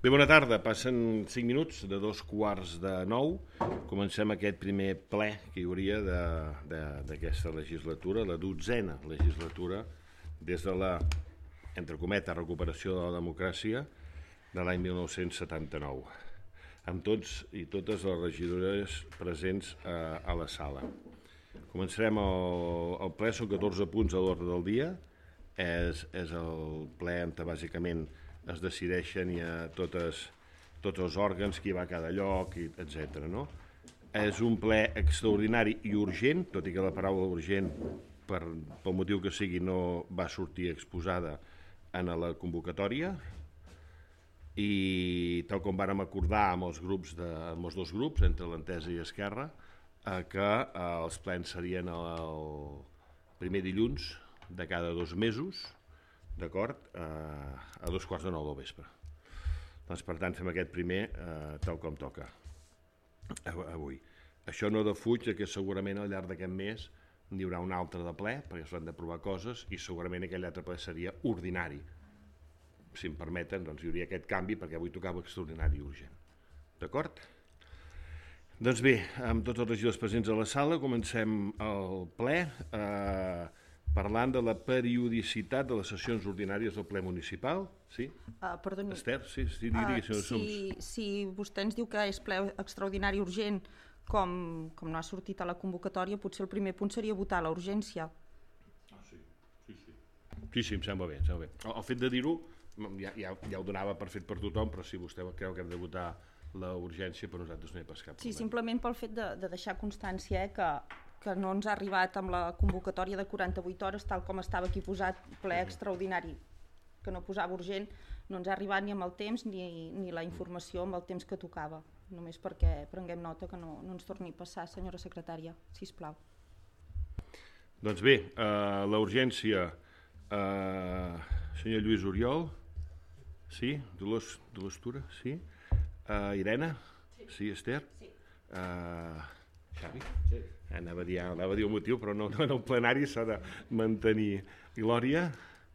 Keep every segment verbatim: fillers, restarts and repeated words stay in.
Bé, bona tarda. Passen cinc minuts de dos quarts de nou. Comencem aquest primer ple que hi hauria d'aquesta legislatura, la dotzena legislatura, des de la, entre cometes, recuperació de la democràcia de l'any mil nou-cents setanta-nou, amb tots i totes les regidores presents a, a la sala. Començarem el, el ple, són catorze punts a l'ordre del dia. És, és el ple on bàsicament es decideixen ja totes, tots els òrgans, qui va a cada lloc, etcètera. No? És un ple extraordinari i urgent, tot i que la paraula urgent, per, pel motiu que sigui, no va sortir exposada en la convocatòria, i tal com vàrem acordar amb els, grups de, amb els dos grups, entre l'Entesa i Esquerra, eh, que eh, els plens serien el primer dilluns de cada dos mesos, d'acord, eh, a dos quarts de nou del vespre. Doncs, per tant, fem aquest primer eh, tal com toca avui. Això no defuig que segurament al llarg d'aquest mes n'hi haurà un altre de ple, perquè s'han d'aprovar coses, i segurament aquell altre ple seria ordinari. Si em permeten, doncs hi hauria aquest canvi, perquè avui tocava extraordinari i urgent. D'acord? Doncs bé, amb tots els regidors presents a la sala, comencem el ple, eh, parlant de la periodicitat de les sessions ordinàries del ple municipal. Sí? Uh, perdoni. Esther, sí, sí, digui, uh, si, si vostè ens diu que és ple extraordinari urgent, com, com no ha sortit a la convocatòria, potser el primer punt seria votar la urgència. Ah, sí, sí, sí. Sí, sí, em sembla bé, em sembla bé. El, el fet de dir-ho ja, ja, ja ho donava per fet per tothom, però si vostè creu que hem de votar la urgència, per nosaltres no hi ha pas cap problema. Sí, simplement pel fet de, de deixar constància, eh, que que no ens ha arribat amb la convocatòria de quaranta-vuit hores, tal com estava aquí posat, ple extraordinari, que no posava urgent, no ens ha arribat ni amb el temps ni, ni la informació amb el temps que tocava. Només perquè prenguem nota que no, no ens torni a passar, senyora secretària, sisplau. Doncs bé, eh, la urgència, eh, senyor Lluís Oriol, sí? Dolors, Dolors Tura, sí? Eh, Irene? Sí. Sí, Esther? Sí. Eh, Xavi? Sí. Anava a, dir, anava a dir el motiu, però no, no en el plenari s'ha de mantenir. Glòria?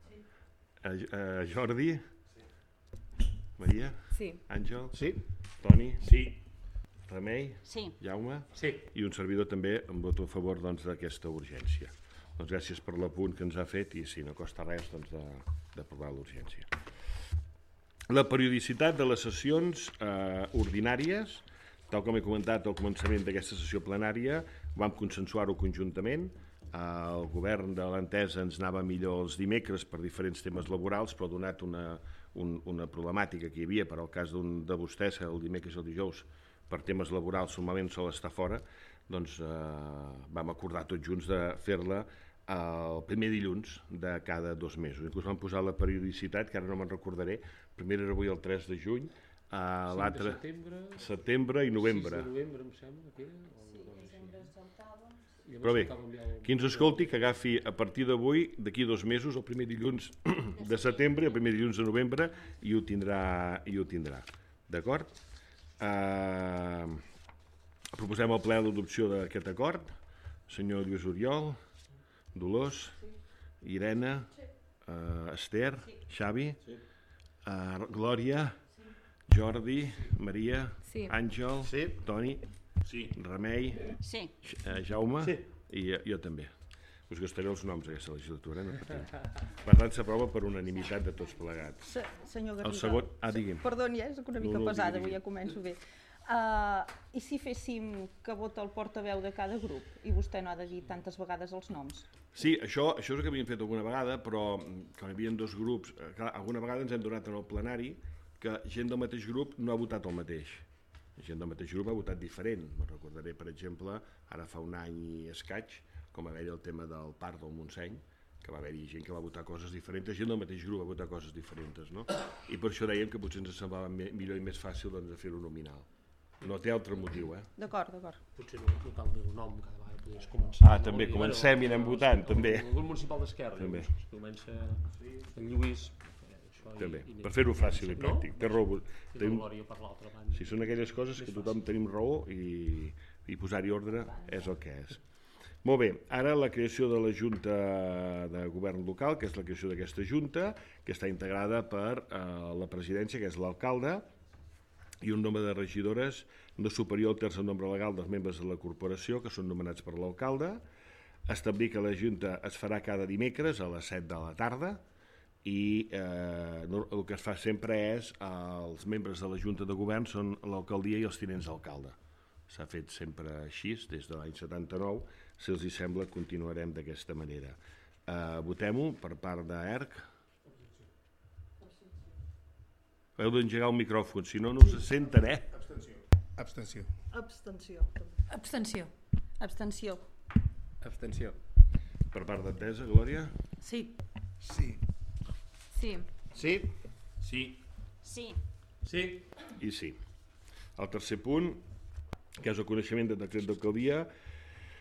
Sí. A, a Jordi? Sí. Maria? Sí. Àngel? Sí. Toni? Sí. Remei? Sí. Jaume? Sí. I un servidor també em voto a favor doncs, d'aquesta urgència. Doncs gràcies per l'apunt que ens ha fet i si no costa res doncs, d'aprovar l'urgència. La periodicitat de les sessions eh, ordinàries, tal com he comentat al començament d'aquesta sessió plenària, vam consensuar-ho conjuntament. El govern de l'Entesa ens anava millor els dimecres per diferents temes laborals, però donat una, un, una problemàtica que hi havia per al cas d'un de vostès, que el dimecres i el dijous per temes laborals normalment sol estar fora, doncs eh, vam acordar tots junts de fer-la el primer dilluns de cada dos mesos. Inclús vam posar la periodicitat, que ara no me'n recordaré, primer era avui el tres de juny, Uh, l'altre setembre, setembre i novembre. sis de novembre, em sembla que era. Sí, desembre es saltava. Però bé, qui ens escolti que agafi a partir d'avui, d'aquí dos mesos, el primer dilluns de setembre i el primer dilluns de novembre, i ho tindrà. I ho tindrà. D'acord? Uh, proposem al ple l'adopció d'aquest acord. Senyor Lluís Oriol, Dolors, Irene, uh, Esther, Xavi, uh, Glòria, Jordi, Maria, sí. Àngel, sí. Toni, sí. Remei, sí. Jaume sí. i jo, jo també. Us gastaré els noms aquesta legislatura. No? Per tant, s'aprova per unanimitat de tots plegats. Se, senyor Garriga, el segon... ah, digui'm. Perdoni, eh? Soc una mica no, no, pesada, digui, digui. avui ja començo bé. Uh, I si féssim que vota el portaveu de cada grup i vostè no ha de dir tantes vegades els noms? Sí, això, això és el que havíem fet alguna vegada, però quan hi havia dos grups, clar, alguna vegada ens hem donat en el plenari que gent del mateix grup no ha votat el mateix. Gent del mateix grup ha votat diferent. Me'n recordaré, per exemple, ara fa un any i escaig, com va haver-hi el tema del parc del Montseny, que va haver-hi gent que va votar coses diferents, gent del mateix grup va votar coses diferents, no? I per això dèiem que potser ens semblava millor i més fàcil doncs, de fer-ho nominal. No té altre motiu, eh? D'acord, d'acord. Potser no, no cal dir el nom, cada vegada podries començar. Ah, també, comencem i anem votant, també. El grup municipal d'Esquerra, comença en Lluís... També, per fer-ho fàcil i pràctic. Té raó. Tenim... per l'altra banda. Si són aquelles coses que tothom tenim raó i, i posar-hi ordre és el que és. Molt bé, ara la creació de la Junta de Govern Local, que és la creació d'aquesta Junta, que està integrada per eh, la presidència, que és l'alcalde, i un nombre de regidores no superior al terç del nombre legal dels membres de la corporació, que són nomenats per l'alcalde. Establir que la Junta es farà cada dimecres a les set de la tarda i eh, el que es fa sempre és eh, els membres de la Junta de Govern són l'alcaldia i els tinents d'alcalde. S'ha fet sempre així des de l'any setanta-nou. Si els hi sembla, continuarem d'aquesta manera. Eh, Votem-ho per part d'E R C. Heu d'engegar el micròfon, si no, no us senten, eh? Abstenció. Abstenció. Abstenció. Abstenció. Abstenció. Per part d'Entesa, Glòria? Sí. Sí. Sí. Sí? Sí. Sí. Sí. I sí. El tercer punt, que és el coneixement del decret d'alcaldia,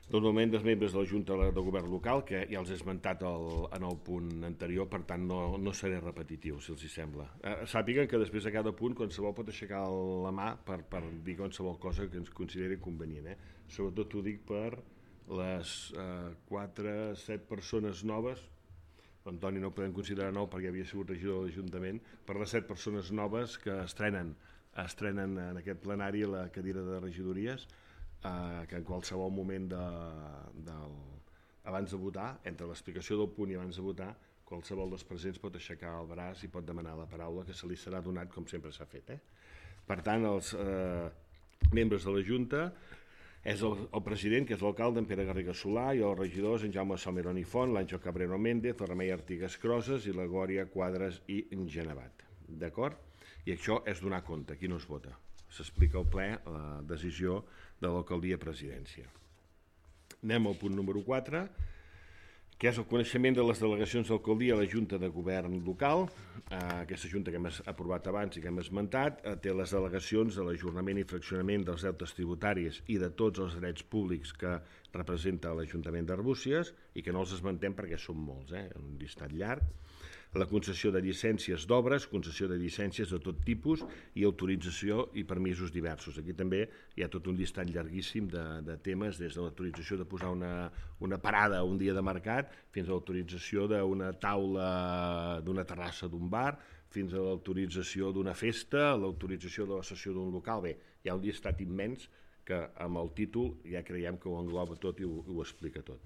normalment dels membres de la Junta de Govern local, que ja els he esmentat el, en el punt anterior, per tant no, no seré repetitiu, si els hi sembla. Eh, sàpiguen que després de cada punt qualsevol pot aixecar la mà per, per dir qualsevol cosa que ens consideri convenient. Eh? Sobretot ho dic per les eh, quatre, set persones noves, Antoni no ho podem considerar nou perquè havia sigut regidor de l'Ajuntament, per les set persones noves que estrenen, estrenen en aquest plenari la cadira de regidories, eh, que en qualsevol moment de, del, abans de votar, entre l'explicació del punt i abans de votar, qualsevol dels presents pot aixecar el braç i pot demanar la paraula, que se li serà donat com sempre s'ha fet. Eh? Per tant, els eh, membres de la Junta és el, el president, que és l'alcalde, en Pere Garriga Solà, i els regidors, en Jaume Salmerón i Font, l'Àngel Cabrero Méndez, el Remei Artigas Croses i la Glòria Quadres i Genevat. D'acord? I això és donar compte, aquí no es vota. S'explica al ple la decisió de l'alcaldia presidència. Anem al punt número quatre, que és el coneixement de les delegacions d'alcaldia a la Junta de Govern local. Eh, aquesta Junta que hem aprovat abans i que hem esmentat eh, té les delegacions de l'ajornament i fraccionament dels deutes tributaris i de tots els drets públics que representa l'Ajuntament d'Arbúcies i que no els esmentem perquè són molts, eh? Un llistat llarg. La concessió de llicències d'obres, concessió de llicències de tot tipus i autorització i permisos diversos. Aquí també hi ha tot un llistat llarguíssim de, de temes, des de l'autorització de posar una, una parada un dia de mercat fins a l'autorització d'una taula d'una terrassa d'un bar, fins a l'autorització d'una festa, l'autorització de la sessió d'un local. Bé, hi ha un llistat immens que amb el títol ja creiem que ho engloba tot i ho, ho explica tot.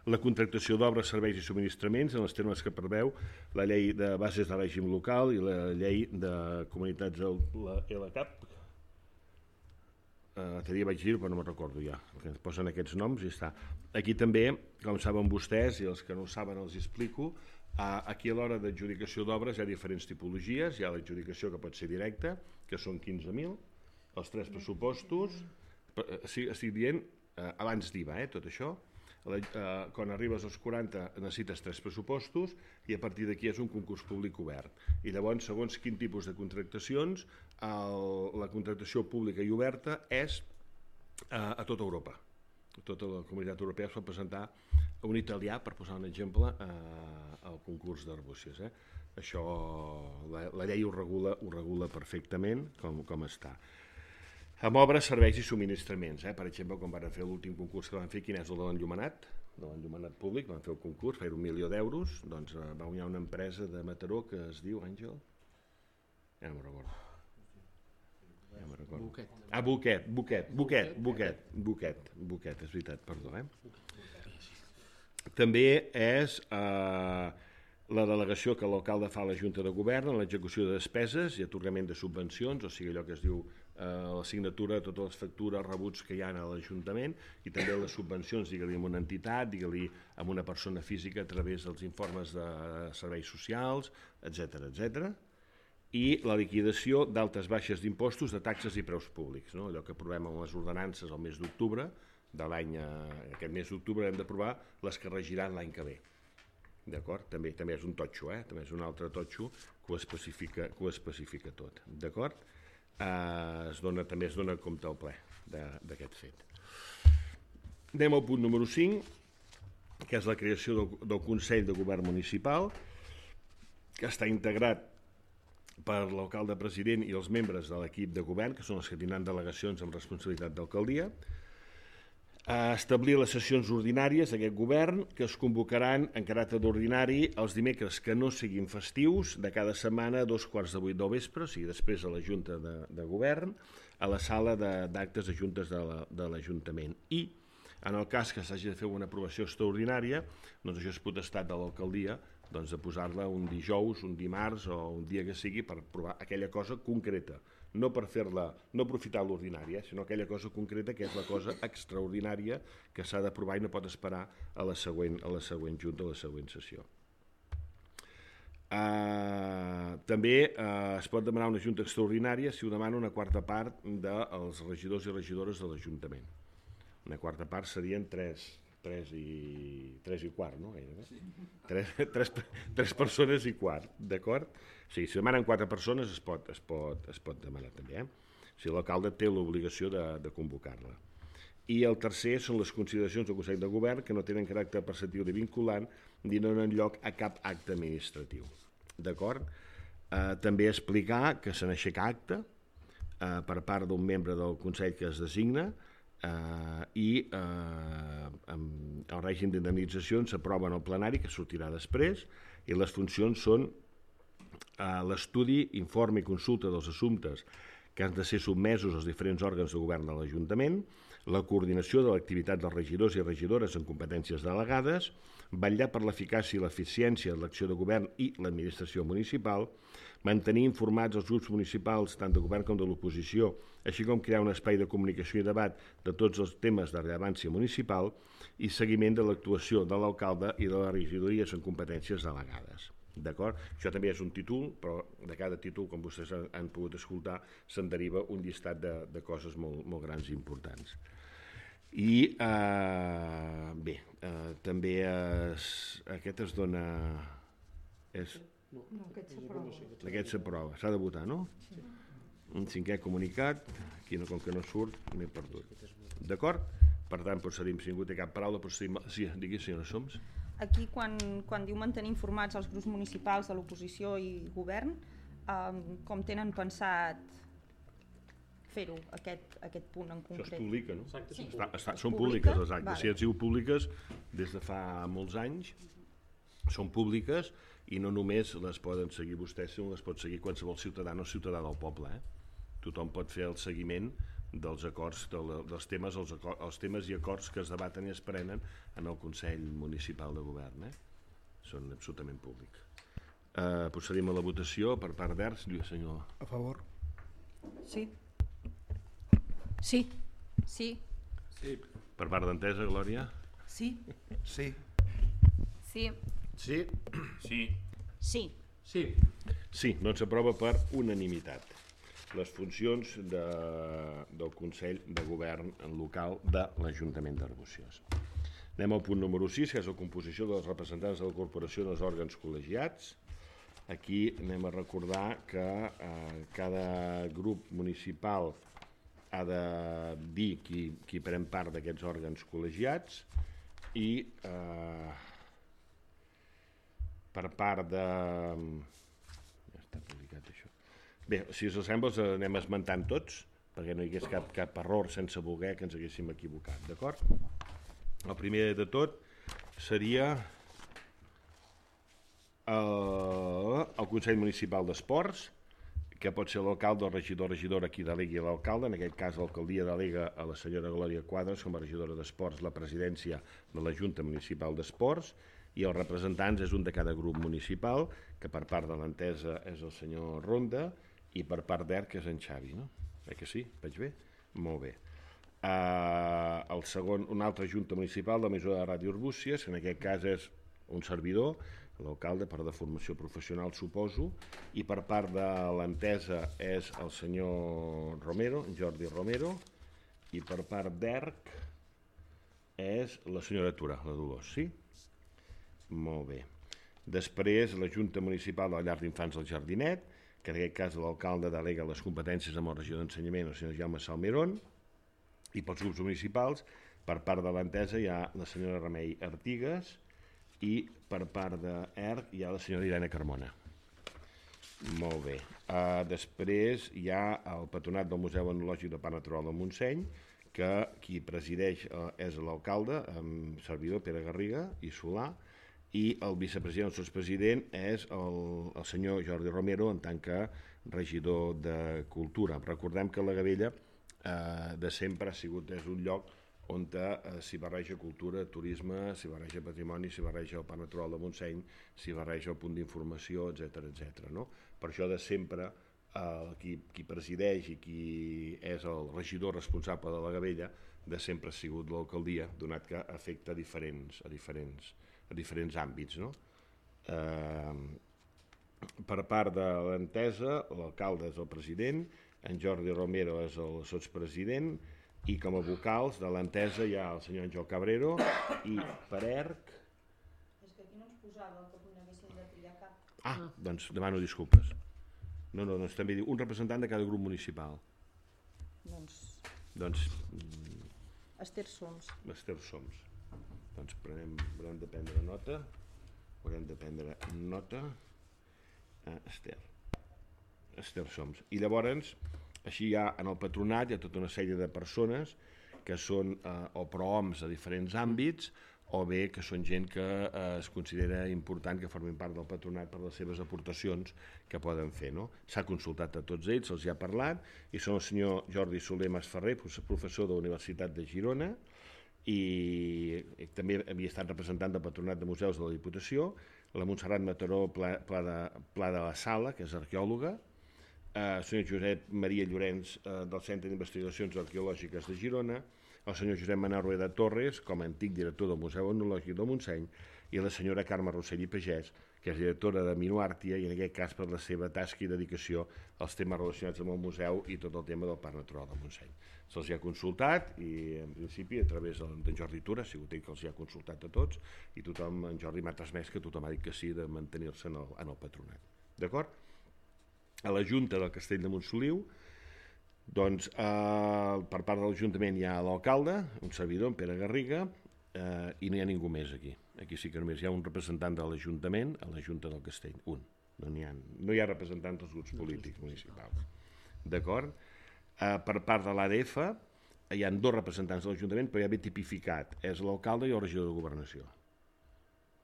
La contractació d'obres, serveis i subministraments en els termes que preveu la llei de bases de règim local i la llei de comunitats del L C A P. L'altre dia vaig dir-ho, però no me'n recordo ja, que ens posen aquests noms i està. Aquí també, com saben vostès, i els que no ho saben els explico, aquí a l'hora d'adjudicació d'obres hi ha diferents tipologies. Hi ha l'adjudicació que pot ser directa, que són quinze mil, els tres pressupostos, estic dient abans d'I V A, eh, tot això. Quan arribes als quaranta necessites tres pressupostos i a partir d'aquí és un concurs públic obert. I llavors, segons quin tipus de contractacions, la contractació pública i oberta és a tota Europa. Tota la comunitat europea es pot presentar un italià, per posar un exemple, al concurs d'Arbúcies. Això, la llei ho regula, ho regula perfectament com està. Amb obres, serveis i subministraments. Eh? Per exemple, quan van fer l'últim concurs que van fer, quin és el de l'enllumenat? De l'enllumenat públic, van fer el concurs, va fer un milió d'euros, doncs va guanyar una empresa de Mataró que es diu, Àngel? Ja no me'n recordo. Ja me'n recordo. Buquet. Ah, Buquet, Buquet, Buquet, Buquet, Buquet, Buquet, és veritat, perdó. Eh? També és eh, la delegació que l'alcalde fa a la Junta de Govern en l'execució de despeses i atorgament de subvencions, o sigui allò que es diu la signatura de totes les factures, rebuts que hi ha a l'Ajuntament i també les subvencions, digue-li amb una entitat, digue-li amb una persona física a través dels informes de serveis socials, etcètera, etcètera. I la liquidació d'altes baixes d'impostos, de taxes i preus públics, no? Allò que aprovem amb les ordenances al mes d'octubre de l'any, aquest mes d'octubre hem d'aprovar les que regiran l'any que ve. D'acord? També, també és un totxo, eh? També és un altre totxo que ho especifica, que ho especifica tot. D'acord? Eh, es dona, també es dona compte al ple d'aquest fet. Anem al punt número cinc, que és la creació del, del Consell de Govern Municipal, que està integrat per l'alcalde president i els membres de l'equip de govern, que són els que tindran delegacions amb responsabilitat d'alcaldia. a establir les sessions ordinàries d'aquest govern que es convocaran en caràcter d'ordinari els dimecres que no siguin festius de cada setmana a dos quarts de vuit del vespre, o sigui, després de la Junta de, de Govern, a la sala d'actes de juntes de l'Ajuntament. I, en el cas que s'hagi de fer una aprovació extraordinària, doncs això és potestat de l'alcaldia doncs de posar-la un dijous, un dimarts o un dia que sigui per aprovar aquella cosa concreta. No per fer-la, no aprofitar l'ordinària, sinó aquella cosa concreta que és la cosa extraordinària que s'ha d'aprovar i no pot esperar a la següent, a la següent junta, a la següent sessió. Uh, també uh, es pot demanar una junta extraordinària si ho demana una quarta part dels regidors i regidores de l'Ajuntament. Una quarta part serien tres, tres, i, tres i quart, no? Sí. Tres, tres, tres persones i quart, d'acord? Sí, si demanen quatre persones es pot, es pot, es pot demanar també. Eh? O sigui, l'alcalde té l'obligació de, de convocar-la. I el tercer són les consideracions del Consell de Govern que no tenen caràcter preceptiu ni vinculant ni no donen lloc a cap acte administratiu. D'acord? Eh, també explicar que se n'aixeca acte eh, per part d'un membre del Consell que es designa eh, i eh, el règim d'indemnitzacions s'aprova en el plenari que sortirà després i les funcions són l'estudi, informe i consulta dels assumptes que han de ser sotmesos als diferents òrgans de govern de l'Ajuntament, la coordinació de l'activitat dels regidors i regidores en competències delegades, vetllar per l'eficàcia i l'eficiència de l'acció de govern i l'administració municipal, mantenir informats els grups municipals tant de govern com de l'oposició, així com crear un espai de comunicació i debat de tots els temes de rellevància municipal i seguiment de l'actuació de l'alcalde i de les regidories en competències delegades. D'acord? Això també és un títol, però de cada títol, com vostès han pogut escoltar, se'n deriva un llistat de, de coses molt, molt grans i importants. I, eh, bé, eh, també es, aquest es dona... És, No, aquest s'aprova. aquest s'aprova. S'ha de votar, no? Sí. Un cinquè comunicat, aquí no, com que no surt, m'he perdut. D'acord? Per tant, procedim, si ningú té cap paraula, procedim... Sí, digui, senyora Soms. Aquí, quan, quan diu mantenir informats els grups municipals de l'oposició i govern, eh, com tenen pensat fer-ho, aquest, aquest punt en concret? Això es publica, no? Exacte, Sí. Està, està, són Publica? públiques les actes. Vale. Si han sigut públiques des de fa molts anys, són públiques i no només les poden seguir vostès, sinó les pot seguir qualsevol ciutadà o ciutadà del poble. Eh? Tothom pot fer el seguiment dels acords, dels temes, els, acords, els temes i acords que es debaten i es prenen en el Consell Municipal de Govern. Eh? Són absolutament públics. Eh, procedim a la votació per part d'Ers. Senyor. A favor? Sí. Sí. Sí. Sí. Per part d'Entesa, Glòria? Sí. Sí. Sí. Sí. Sí. Sí. Sí. Sí, doncs s'aprova per unanimitat les funcions de, del Consell de Govern local de l'Ajuntament d'Arbúcies. Anem al punt número sis, que és la composició dels representants de la corporació dels òrgans col·legiats. Aquí anem a recordar que eh, cada grup municipal ha de dir qui, qui pren part d'aquests òrgans col·legiats i eh, per part de... Ja està publicat això. Bé, si us sembla, els anem esmentant tots, perquè no hi hagués cap, cap error sense voler que ens haguéssim equivocat, d'acord? El primer de tot seria el, el Consell Municipal d'Esports, que pot ser l'alcalde o regidor regidora qui delegui l'alcalde. En aquest cas, l'alcaldia delega a la senyora Glòria Quadras com a regidora d'Esports la presidència de la Junta Municipal d'Esports i els representants és un de cada grup municipal, que per part de l'Entesa és el senyor Ronda i per part d'E R C és en Xavi, no? Eh que sí? Vaig bé? Molt bé. Uh, el segon, una altra junta municipal, l'emissora de Ràdio Arbúcies, que en aquest cas és un servidor, l'alcalde per de formació professional, suposo, i per part de l'Entesa és el senyor Romero, Jordi Romero, i per part d'E R C és la senyora Tura, la Dolors, sí? Molt bé. Després, la Junta Municipal de la Llar d'Infants del Jardinet, que en aquest cas l'alcalde delega les competències amb la regió d'ensenyament, el senyor Jaume Salmerón, i pels grups municipals, per part de l'Entesa hi ha la senyora Remei Artigas i per part d'E R C hi ha la senyora Irene Carmona. Molt bé. Uh, després hi ha el Patronat del Museu Etnològic de Parc Natural del Montseny, que qui presideix eh, és l'alcalde, amb servidor Pere Garriga i Solà, i el vicepresident, el sotspresident, és el, el senyor Jordi Romero en tant que regidor de Cultura. Recordem que la Gavella eh, de sempre ha sigut és un lloc on eh, s'hi barreja cultura, turisme, s'hi barreja patrimoni, s'hi barreja el Parc Natural de Montseny, s'hi barreja el punt d'informació, etcètera, etcètera. No? Per això de sempre eh, qui, qui presideix i qui és el regidor responsable de la Gavella de sempre ha sigut l'alcaldia, donat que afecta a diferents, a diferents, a diferents àmbits. No? Eh, per part de l'entesa, l'alcalde és el president, en Jordi Romero és el sotspresident, i com a vocals de l'entesa hi ha el senyor Àngel Cabrero i per E R C... És que aquí no ens posava que n'haguéssim de triar cap. Ah, doncs demano disculpes. No, no, doncs també diu un representant de cada grup municipal. Doncs... Doncs... Esther Soms. Esther Soms. Doncs prenem, haurem de prendre nota. Haurem de prendre nota. Ah, Esther. Esther Soms. I llavors, així hi ha en el patronat hi ha tota una sèrie de persones que són eh, o prohoms a diferents àmbits o bé que són gent que eh, es considera important que formin part del patronat per les seves aportacions que poden fer. No? S'ha consultat a tots ells, se'ls hi ha parlat, i són el senyor Jordi Soler Masferrer, professor de la Universitat de Girona, i també havia estat representant del Patronat de Museus de la Diputació, la Montserrat Mataró Pla, Pla, de, Pla de la Sala, que és arqueòloga, el senyor Josep Maria Llorenç eh, del Centre d'Investigacions Arqueològiques de Girona, el senyor Josep Manel Rueda Torres, com a antic director del Museu Etnològic del Montseny, i la senyora Carme Rossell i Pagès, que és directora de Minuàrtia, i en aquest cas per la seva tasca i dedicació als temes relacionats amb el museu i tot el tema del Parc Natural del Montseny. Se'ls ha consultat i, en principi, a través d'en Jordi Tura, ha sigut ell que els ha consultat a tots, i tothom, en Jordi m'ha transmès que tothom ha dit que sí de mantenir-se en, el, en el patronat. D'acord? A la Junta del Castell de Montsoliu, doncs, eh, per part de l'Ajuntament hi ha l'alcalde, un servidor, en Pere Garriga, eh, i no hi ha ningú més aquí. Aquí sí que només hi ha un representant de l'Ajuntament a la Junta del Castell, un. No hi ha, no hi ha representants dels grups polítics municipals. D'acord? Eh, per part de l'A D F hi ha dos representants de l'Ajuntament, però ja ve tipificat. És l'alcalde i el regidor de Governació.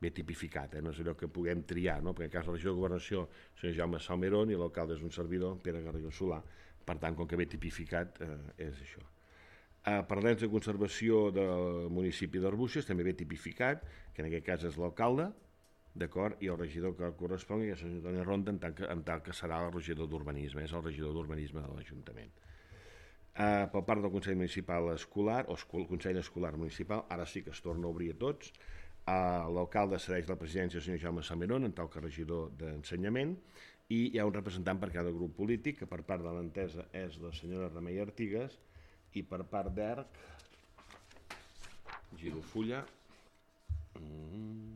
Ve tipificat, eh? No és allò que puguem triar, no? Perquè en cas de la regidor de Governació el senyor Jaume Salmerón i l'alcalde és un servidor, Pere Garriga Solà. Per tant, com que ve tipificat, eh, és això. Eh, per l'ens de conservació del municipi d'Arbúcies també ve tipificat, que en aquest cas és l'alcalde, d'acord, i el regidor que correspongui és el senyor Toni Ronda, en tant que, en tant que serà el regidor d'Urbanisme, és el regidor d'Urbanisme de l'Ajuntament. Eh, per part del Consell Municipal Escolar, o el Consell Escolar Municipal, ara sí que es torna a obrir a tots. Uh, l'alcalde cedeix la presidència al senyor Jaume Salmerón en tant que regidor d'Ensenyament, i hi ha un representant per cada grup polític, que per part de l'entesa és la senyora Remei Artigas, i per part d'E R C giro fulla, mm,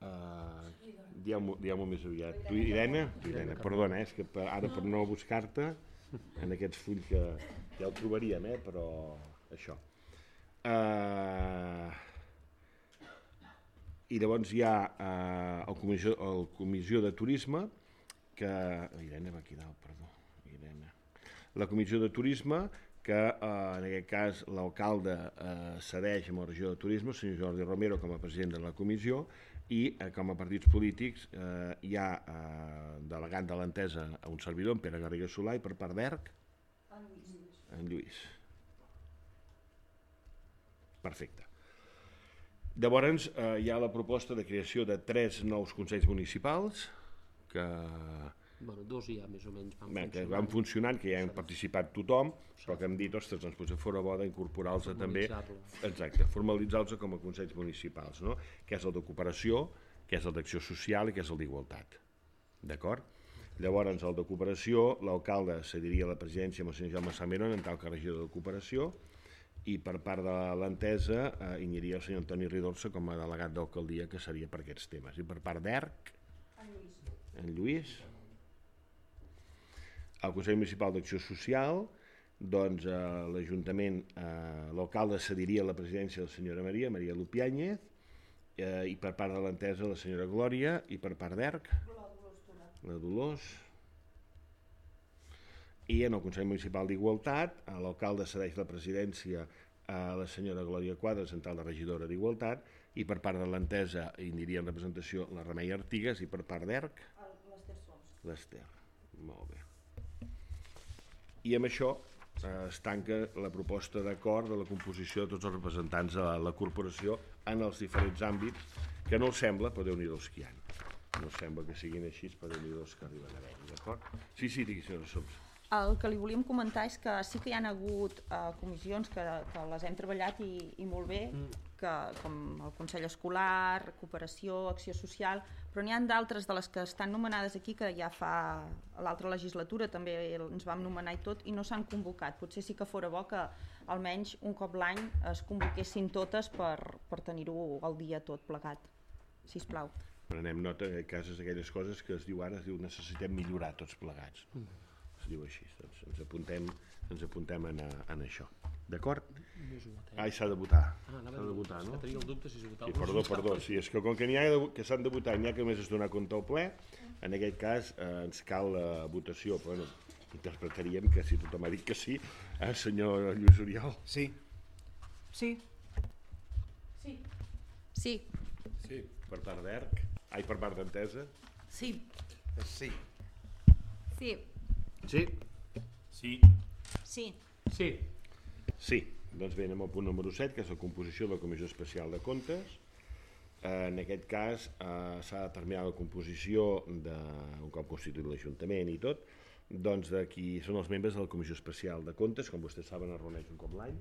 uh, dieu-m'ho dieu més aviat. Tu, Irene? Tu, Irene, perdona, eh, és que per, ara per no buscar-te en aquests fulls que ja el trobaríem, eh, però això. Uh, I llavors hi ha eh, el, comissió, el Comissió de Turisme, que... Irene va aquí dalt, perdó. Irene. La Comissió de Turisme, que eh, en aquest cas l'alcalde eh, cedeix amb el regidor de Turisme, el senyor Jordi Romero, com a president de la comissió, i eh, com a partits polítics eh, hi ha eh, delegant de l'entesa a un servidor, en Pere Garriga Solà, i per part d'E R C, en Lluís. En Lluís. Perfecte. Llavors eh, hi ha la proposta de creació de tres nous consells municipals que, bueno, dos ja més o menys van bé, que funcionant. van funcionant, que ja han participat tothom, però que hem dit, ostres, doncs potser fora bo d'incorporar-los també, exacte, formalitzar-los com a consells municipals, no? Que és el de cooperació, que és el d'acció social i que és el d'igualtat. D'acord? Llavors, el de cooperació, l'alcalde cediria la presidència amb el senyor Jaume Salmerón en tal que regidor de cooperació, i per part de l'entesa eh, hi aniria el senyor Antoni Ridorça com a delegat d'alcaldia, que seria per aquests temes. I per part d'E R C, en Lluís. En Lluís. El Consell Municipal d'Acció Social, doncs eh, l'Ajuntament, eh, l'alcalde cediria la presidència de la senyora Maria, Maria Lupiáñez, eh, i per part de l'entesa la senyora Glòria, i per part d'E R C, la Dolors. I en el Consell Municipal d'Igualtat l'alcalde cedeix la presidència a la senyora Glòria Quadres, en tal de regidora d'Igualtat, i per part de l'Entesa hi aniria en representació la Remei Artigas, i per part d'Erc l'Ester. Molt bé. I amb això eh, es tanca la proposta d'acord de la composició de tots els representants de la, la corporació en els diferents àmbits, que no els sembla, però Déu-n'hi-do que hi ha. No sembla que siguin així, però Déu-n'hi-do que arriben a haver-hi, d'acord? Sí, sí, digui, senyora Soms. El que li volíem comentar és que sí que hi ha hagut eh, comissions que, que les hem treballat i, i molt bé, que, com el Consell Escolar, Cooperació, Acció Social, però n'hi ha d'altres de les que estan nomenades aquí que ja fa l'altra legislatura també ens vam nomenar i tot i no s'han convocat. Potser sí que fora bo que almenys un cop l'any es convoquessin totes per, per tenir-ho al dia tot plegat, sisplau. Prenem nota en aquest cas aquelles coses que es diu ara, es diu necessitem millorar tots plegats. Es diu així, doncs ens apuntem, ens apuntem en, en això. D'acord? Ai, s'ha de votar. Ah, s'ha de votar, no? Que tenia el dubte si es votava. Sí, perdó, perdó, sí, és que com que n'hi ha de, que s'han de votar i n'hi ha que només es donar compte al ple, en aquest cas eh, ens cal la votació, però bueno, interpretaríem que si tothom ha dit que sí, eh, senyor Lluís Oriol? Sí. Sí. Sí. Sí. Sí. Per part d'Erc? Ai, per part d'Entesa? Sí. Sí. Sí. Sí? Sí. Sí. Sí. Sí. Doncs bé, anem al punt número set, que és la composició de la Comissió Especial de Comptes. En aquest cas eh, s'ha determinat la composició de, un cop constituït l'Ajuntament i tot, doncs de qui són els membres de la Comissió Especial de Comptes, com vostès saben es reuneix un cop l'any,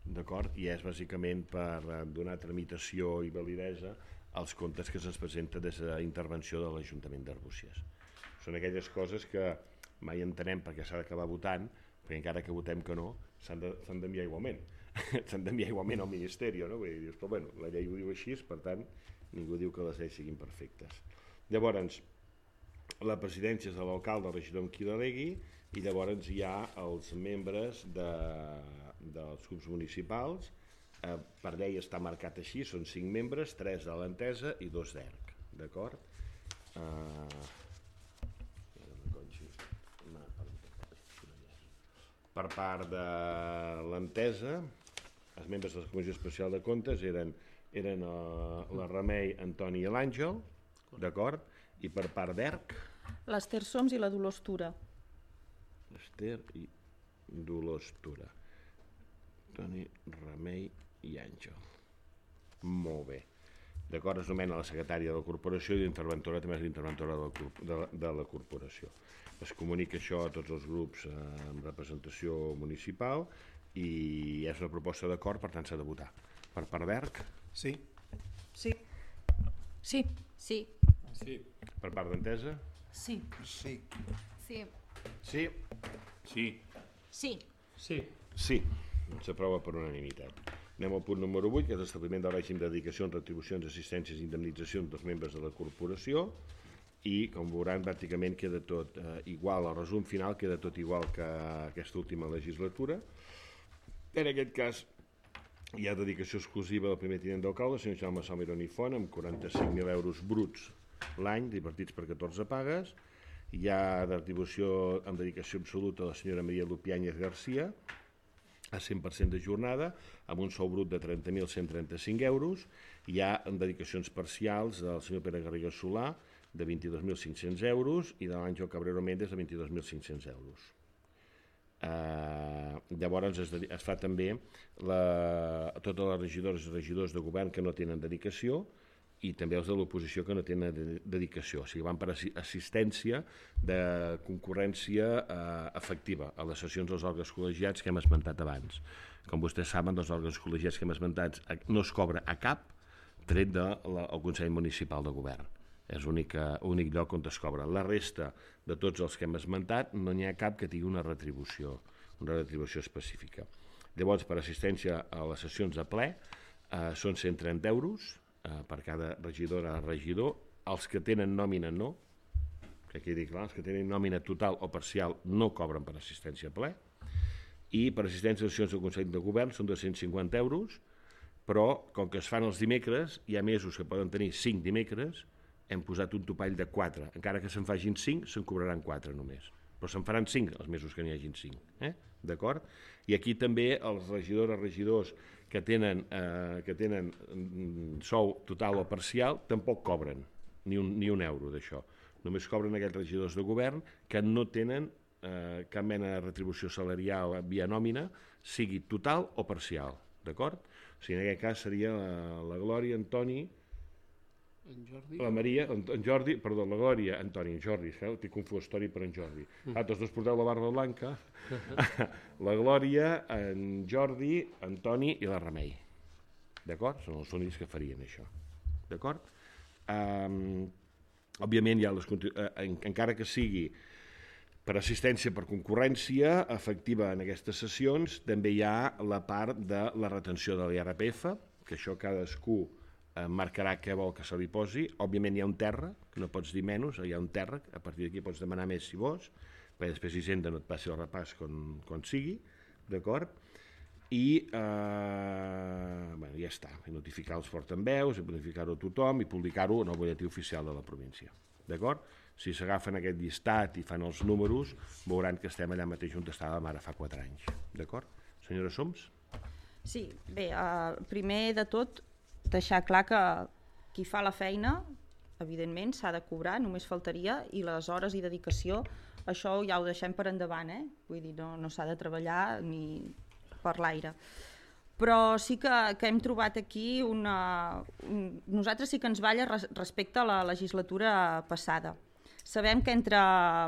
d'acord? I és bàsicament per donar tramitació i validesa als comptes que se'ns presenta des de la intervenció de l'Ajuntament d'Arbúcies. Són aquelles coses que mai entenem perquè s'ha d'acabar votant, perquè encara que votem que no, s'han d'enviar igualment. S'han d'enviar igualment al Ministeri, no? Vull dir, dius, però bueno, la llei ho diu així, per tant, ningú diu que les lleis siguin perfectes. Llavors, la presidència és de l'alcalde, el regidor amb qui delegui, i llavors hi ha els membres de, dels grups municipals. Eh, per llei està marcat així, són cinc membres, tres de l'Entesa i dos d'Erc, d'acord? Eh... Per part de l'Entesa, els membres de la Comissió Especial de Comptes eren, eren uh, la Remei, Antoni i l'Àngel, d'acord? I per part d'Erc? L'Ester Soms i la Dolors Tura. Ester i Dolors Tura. Antoni, Remei i Àngel. Molt bé. D'acord, es nomena la secretària de la corporació i l'interventora també és l'interventora de, de, de la corporació. Es comunica això a tots els grups eh, amb representació municipal i és una proposta d'acord, per tant s'ha de votar. Per part d'Erc? Sí. Sí. Sí. Sí. Sí. Per part d'Entesa? Sí. Sí. Sí. Sí? Sí. Sí. Sí. Sí. S'aprova per unanimitat. Anem al punt número vuit, que és l'establiment del règim de dedicacions, retribucions, assistències i indemnitzacions dels membres de la corporació. I, com veuran, pràcticament queda tot eh, igual, el resum final queda tot igual que aquesta última legislatura. En aquest cas, hi ha dedicació exclusiva del primer tinent d'alcalde, el senyor Jaume Salmerón i Font, amb quaranta-cinc mil euros bruts l'any, repartits per catorze pagues. Hi ha retribució amb dedicació absoluta de la senyora Maria Lupiáñez García, a cent per cent de jornada, amb un sou brut de trenta mil cent trenta-cinc euros. Hi ha dedicacions parcials del senyor Pere Garriga Solà, de vint-i-dos mil cinc-cents euros, i de l'Àngel Cabrero Méndez de vint-i-dos mil cinc-cents euros. Eh, llavors es, es fa també la, totes les regidores i regidors de govern que no tenen dedicació i també els de l'oposició que no tenen de, dedicació, o sigui, van per assistència de concurrència eh, efectiva a les sessions dels òrgans col·legiats que hem esmentat abans. Com vostès saben, dels òrgans col·legiats que hem esmentat no es cobra a cap tret del Consell Municipal de Govern. És l'únic lloc on es cobra. La resta de tots els que hem esmentat no n'hi ha cap que tingui una retribució, una retribució específica. Llavors, per assistència a les sessions de ple, eh, són cent trenta euros eh, per cada regidora o regidor. Els que tenen nòmina no, que quedi clar, els que tenen nòmina total o parcial no cobren per assistència a ple. I per assistència a sessions del Consell de Govern són dos-cents cinquanta euros, però com que es fan els dimecres, hi ha mesos que poden tenir cinc dimecres, hem posat un topall de quatre. Encara que se'n facin cinc, se'n cobraran quatre només. però se'n faran cinc els mesos que n'hi hagin cinc, eh? D'acord? I aquí també els regidors, regidors que tenen, eh, que tenen sou total o parcial tampoc cobren ni un, ni un euro d'això. Només cobren aquells regidors de govern que no tenen eh, cap mena de retribució salarial via nòmina, sigui total o parcial, d'acord? O sigui, en aquest cas seria la, la Glòria, Antoni, En Jordi? la Maria, en, en Jordi, perdó, la Glòria, Antoni, en Jordi, eh? T'he confós Toni per en Jordi. Ah, tots dos porteu la barba blanca. La Glòria, en Jordi, Antoni i la Remei. D'acord? Són els únics que farien això. D'acord? Um, òbviament, hi ha les, eh, encara que sigui per assistència per concurrència efectiva en aquestes sessions, també hi ha la part de la retenció de l'I R P F, que això cadascú marcarà què vol que se li posi. Òbviament hi ha un terra, que no pots dir menys, hi ha un terra, a partir d'aquí pots demanar més si vols, perquè després Hisenda no et passi el repàs quan, quan sigui, d'acord? I eh, bueno, ja està, i notificar els portaveus, i notificar-ho a tothom, i publicar-ho en el butlletí oficial de la província, d'acord? Si s'agafen aquest llistat i fan els números, veuran que estem allà mateix on estàvem ara fa quatre anys, d'acord? Senyora Soms? Sí, bé, eh, primer de tot, deixar clar que qui fa la feina, evidentment, s'ha de cobrar, només faltaria, i les hores i dedicació, això ja ho deixem per endavant, eh? Vull dir, no, no s'ha de treballar ni per l'aire. Però sí que, que hem trobat aquí una... Un, nosaltres sí que ens balla res, respecte a la legislatura passada. Sabem que entre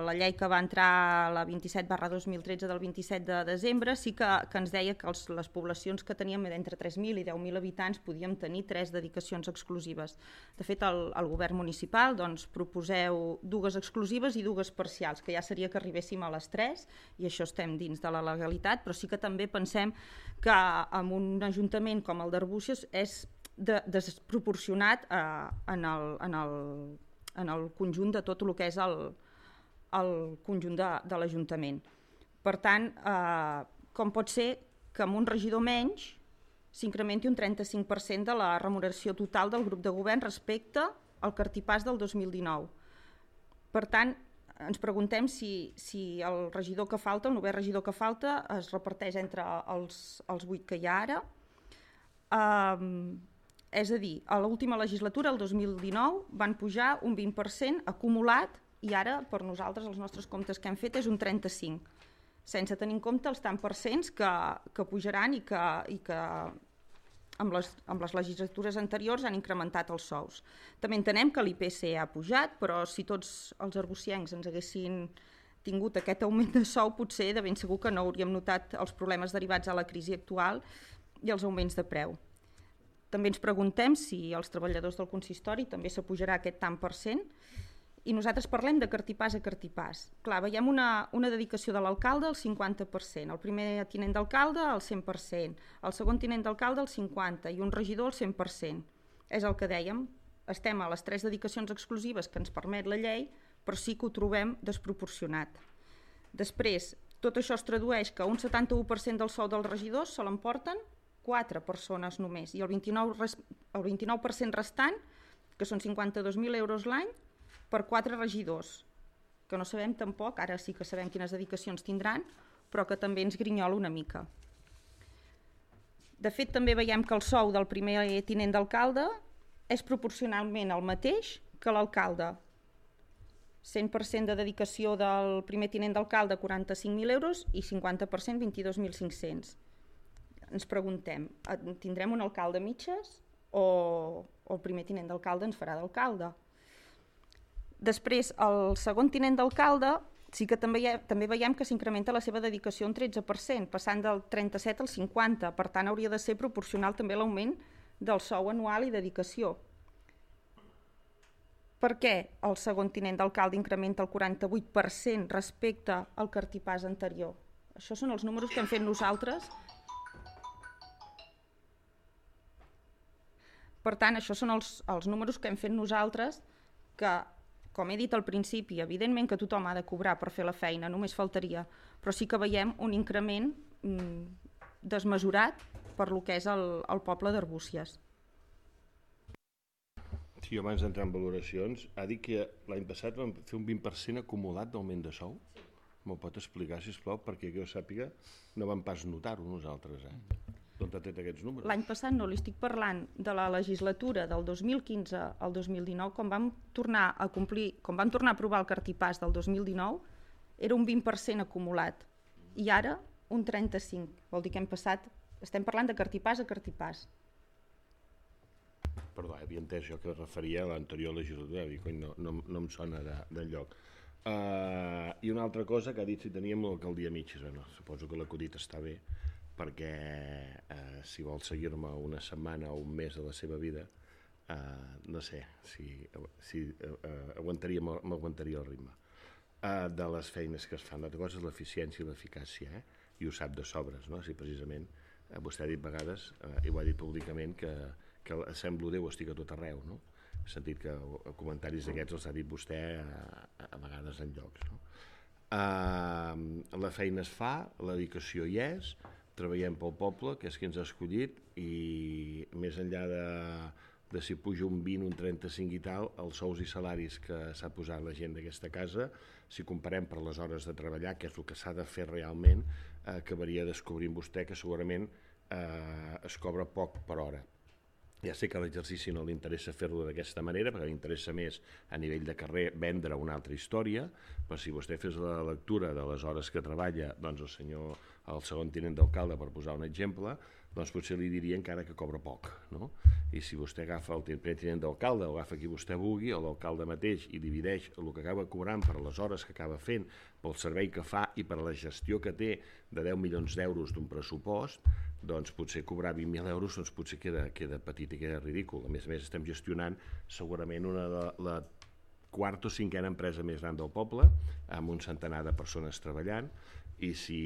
la llei que va entrar la vint-i-set barra dos mil tretze del vint-i-set de desembre sí que, que ens deia que els, les poblacions que teníem d'entre tres mil i deu mil habitants podíem tenir tres dedicacions exclusives. De fet, el, el govern municipal doncs, proposeu dues exclusives i dues parcials, que ja seria que arribéssim a les tres, i això estem dins de la legalitat, però sí que també pensem que en un ajuntament com el d'Arbúcies és de, desproporcionat eh, en el... En el en el conjunt de tot el que és el, el conjunt de, de l'Ajuntament. Per tant, eh, com pot ser que amb un regidor menys s'incrementi un trenta-cinc per cent de la remuneració total del grup de govern respecte al cartipàs del dos mil dinou. Per tant, ens preguntem si, si el regidor que falta, el novè regidor que falta, es reparteix entre els, els vuit que hi ha ara. Eh, És a dir, a l'última legislatura, el dos mil dinou, van pujar un vint per cent acumulat i ara, per nosaltres, els nostres comptes que hem fet és un trenta-cinc per cent, sense tenir en compte els tant per cents que, que pujaran i que, i que amb, les, amb les legislatures anteriors han incrementat els sous. També entenem que l'I P C ha pujat, però si tots els arbuciencs ens haguessin tingut aquest augment de sou, potser de ben segur que no hauríem notat els problemes derivats a la crisi actual i els augments de preu. També ens preguntem si els treballadors del consistori també s'apujarà aquest tant per cent, i nosaltres parlem de cartipàs a cartipàs. Clar, veiem una, una dedicació de l'alcalde al cinquanta per cent, el primer tinent d'alcalde al cent per cent, el segon tinent d'alcalde al cinquanta per cent i un regidor al cent per cent. És el que dèiem, estem a les tres dedicacions exclusives que ens permet la llei, però sí que ho trobem desproporcionat. Després, tot això es tradueix que un setanta-u per cent del sou dels regidors se l'emporten quatre persones només, i el vint-i-nou per cent, el vint-i-nou per cent restant, que són cinquanta-dos mil euros l'any, per quatre regidors, que no sabem tampoc, ara sí que sabem quines dedicacions tindran, però que també ens grinyola una mica. De fet, també veiem que el sou del primer tinent d'alcalde és proporcionalment el mateix que l'alcalde. cent per cent de dedicació del primer tinent d'alcalde, quaranta-cinc mil euros, i cinquanta per cent, vint-i-dos mil cinc-cents. Ens preguntem, tindrem un alcalde a mitges o, o el primer tinent d'alcalde ens farà d'alcalde? Després, el segon tinent d'alcalde sí que també, ha, també veiem que s'incrementa la seva dedicació un tretze per cent, passant del trenta-set al cinquanta, per tant hauria de ser proporcional també l'augment del sou anual i dedicació. Per què el segon tinent d'alcalde incrementa el quaranta-vuit per cent respecte al cartipàs anterior? Això són els números que hem fet nosaltres. Per tant, això són els, els números que hem fet nosaltres, que, com he dit al principi, evidentment que tothom ha de cobrar per fer la feina, només faltaria, però sí que veiem un increment mm, desmesurat per lo que és el, el poble d'Arbúcies. Sí, abans d'entrar en valoracions, ha dit que l'any passat vam fer un vint per cent acumulat d'augment de sou? m'ho pot explicar, sisplau, perquè jo sàpiga, no vam pas notar-ho nosaltres, eh? D'on ha tret aquests números? L'any passat no, li estic parlant de la legislatura del dos mil quinze al dos mil dinou, quan vam tornar a complir, quan vam tornar a aprovar el cartipàs del dos mil dinou, era un vint per cent acumulat, i ara un trenta-cinc. Vol dir que hem passat, estem parlant de cartipàs a cartipàs. Perdó, havia entès jo que es referia a l'anterior legislatura, dic, cony, no, no, no em sona d'enlloc. Uh, I una altra cosa que ha dit si teníem l'alcaldia mitges, bueno, suposo que l'acudit està bé, perquè uh, si vol seguir-me una setmana o un mes de la seva vida, uh, no sé si, si uh, uh, aguantaria, m'aguantaria el ritme. Uh, de les feines que es fan, l'altra cosa és l'eficiència i l'eficàcia, eh? I ho sap de sobres, no? Si precisament uh, vostè ha dit vegades, uh, i ho ha dit públicament, que que semblo Déu estic a tot arreu, no? He sentit que comentaris d'aquests els ha dit vostè a, a vegades en llocs, no? Uh, la feina es fa, la dedicació hi és, treballem pel poble, que és qui ens ha escollit, i més enllà de, de si puja un vint, un trenta-cinc i tal, els sous i salaris que s'ha posat la gent d'aquesta casa, si comparem per les hores de treballar, que és el que s'ha de fer realment, eh, acabaria descobrint vostè que segurament eh, es cobra poc per hora. Ja sé que a l'exercici no li interessa fer-lo d'aquesta manera, perquè li interessa més a nivell de carrer vendre una altra història, però si vostè fes la lectura de les hores que treballa, doncs el senyor, el segon tinent d'alcalde, per posar un exemple, doncs potser li diria encara que cobra poc, no? I si vostè agafa el primer tinent d'alcalde, o agafa qui vostè vulgui, o l'alcalde mateix, i divideix el que acaba cobrant per les hores que acaba fent, pel servei que fa i per la gestió que té de deu milions d'euros d'un pressupost, doncs potser cobrar vint mil euros doncs potser queda, queda petit i queda ridícul. A més a més estem gestionant segurament una de la quarta o cinquena empresa més gran del poble, amb un centenar de persones treballant, i si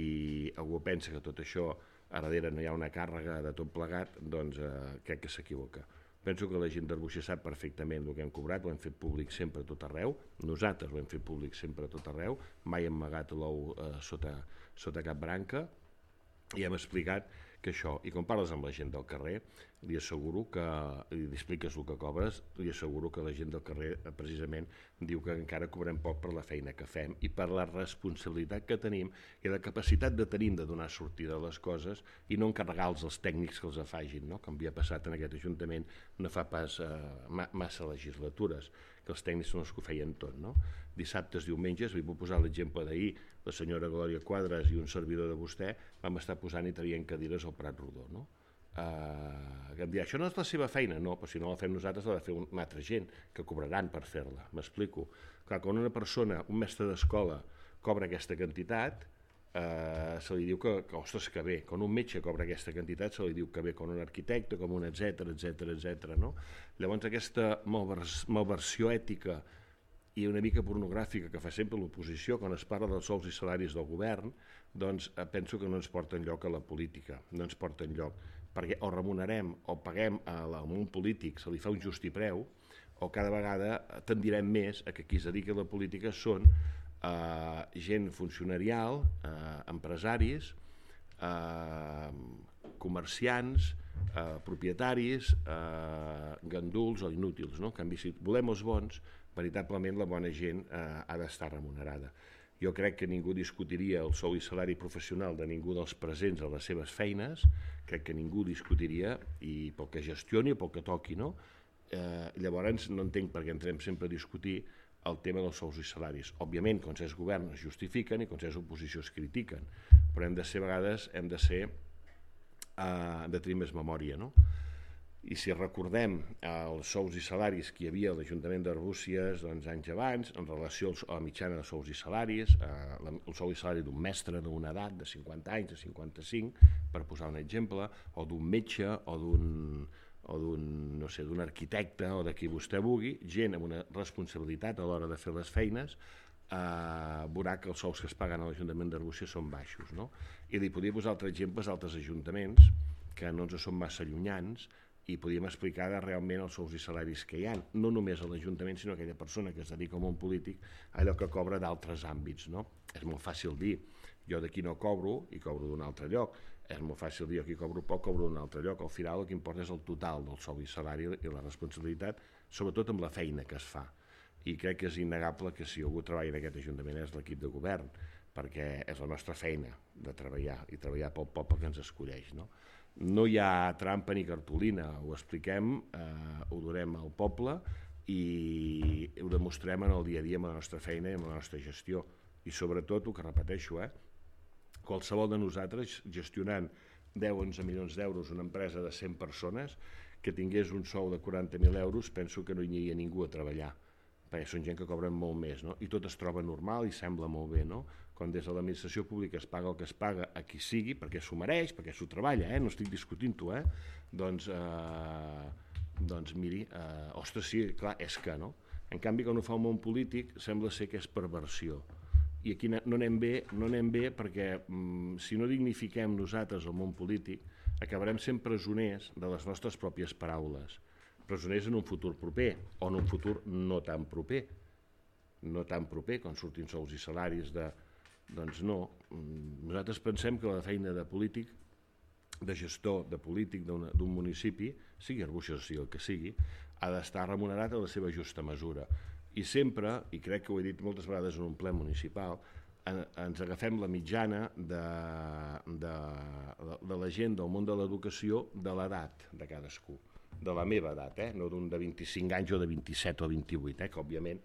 algú pensa que tot això a darrere no hi ha una càrrega de tot plegat, doncs eh, crec que s'equivoca. Penso que la gent d'Arbúcies sap perfectament el que hem cobrat, ho hem fet públic sempre a tot arreu, nosaltres ho hem fet públic sempre a tot arreu, mai hem amagat l'ou eh, sota, sota cap branca, i hem explicat que això, i quan parles amb la gent del carrer, li asseguro que, li expliques el que cobres, li asseguro que la gent del carrer precisament diu que encara cobrem poc per la feina que fem i per la responsabilitat que tenim i la capacitat que tenim de donar sortida a les coses i no encarregar-los als tècnics que els afagin, no? Com havia passat en aquest Ajuntament no fa pas eh, massa legislatures, que els tècnics són els que ho feien tot, no? Dissabtes, diumenges, li puc posar l'exemple d'ahir, la senyora Glòria Quadras i un servidor de vostè vam estar posant i traient cadires al Prat Rodó, no? Uh, que em dirà, això no és la seva feina, no, però si no la fem nosaltres l'ha de fer una altra gent que cobraran per fer-la, m'explico. Clar, quan una persona, un mestre d'escola cobra aquesta quantitat, uh, se li diu que, que, ostres, que bé, quan un metge cobra aquesta quantitat se li diu que bé, quan un arquitecte, com un etcètera, etcètera, etcètera, no? Llavors aquesta malvers, malversió ètica i una mica pornogràfica que fa sempre l'oposició quan es parla dels sous i salaris del govern, doncs eh, penso que no ens porta enlloc a la política, no ens porta enlloc, perquè o remunerem o paguem a, la, a un polític, se li fa un justipreu, o cada vegada tendirem més a que qui es dedica a la política són eh, gent funcionarial, eh, empresaris, eh, comerciants, eh, propietaris, eh, ganduls o inútils, no? En canvi, si volem els bons, veritablement la bona gent eh, ha d'estar remunerada. Jo crec que ningú discutiria el sou i salari professional de ningú dels presents a les seves feines, crec que ningú discutiria, i pel que gestioni o pel que toqui, no? Eh, llavors no entenc per què entrem sempre a discutir el tema dels sous i salaris. Òbviament, quan s'és govern es justifiquen i quan s'és oposició es critiquen, però hem de ser, a vegades, hem de ser, eh, de tenir més memòria, no? I si recordem els sous i salaris que hi havia a l'Ajuntament d'Arbúcies doncs, anys abans, en relació a la mitjana de sous i salaris, eh, el sou i salari d'un mestre d'una edat de cinquanta anys, de cinquanta-cinc, per posar un exemple, o d'un metge, o d'un o d'un, no sé, d'un arquitecte, o de qui vostè vulgui, gent amb una responsabilitat a l'hora de fer les feines, eh, veurà que els sous que es paguen a l'Ajuntament d'Arbúcies són baixos, no? I li podria posar altres exemples d'altres ajuntaments que no ens són massa llunyans, i podíem explicar realment els sous i salaris que hi ha, no només a l'Ajuntament, sinó a aquella persona que es dedica al món polític, allò que cobra d'altres àmbits, no? És molt fàcil dir, jo d'aquí no cobro i cobro d'un altre lloc, és molt fàcil dir, aquí cobro poc, cobro d'un altre lloc, al final el que importa és el total del sou i salari i la responsabilitat, sobretot amb la feina que es fa. I crec que és innegable que si algú treballa en aquest Ajuntament és l'equip de govern, perquè és la nostra feina de treballar, i treballar pel poble que ens escolleix, no? No hi ha trampa ni cartolina, ho expliquem, eh, ho durem al poble i ho demostrem en el dia a dia amb la nostra feina i amb la nostra gestió. I sobretot, el que repeteixo, eh, qualsevol de nosaltres gestionant deu o onze milions d'euros una empresa de cent persones que tingués un sou de quaranta mil euros, penso que no hi aniria ningú a treballar, perquè són gent que cobren molt més, no? I tot es troba normal i sembla molt bé, no? Quan des de l'administració pública es paga el que es paga a qui sigui, perquè s'ho mereix, perquè s'ho treballa, eh? No estic discutint-ho, eh? Doncs, eh, doncs miri, eh, ostres, sí, clar, és que, no? En canvi, quan ho fa el món polític, sembla ser que és perversió. I aquí no anem bé, no anem bé perquè mm, si no dignifiquem nosaltres el món polític, acabarem sent presoners de les nostres pròpies paraules. Presoners en un futur proper, o en un futur no tan proper. No tan proper, quan surtin sous i salaris de... Doncs no. Nosaltres pensem que la feina de polític, de gestor, de polític d'un municipi, sigui Arbúcies o sigui el que sigui, ha d'estar remunerat a la seva justa mesura. I sempre, i crec que ho he dit moltes vegades en un ple municipal, ens agafem la mitjana de, de, de la gent del món de l'educació de l'edat de cadascú, de la meva edat, eh? No d'un de vint-i-cinc anys o de vint-i-set o vint-i-vuit, eh? Que òbviament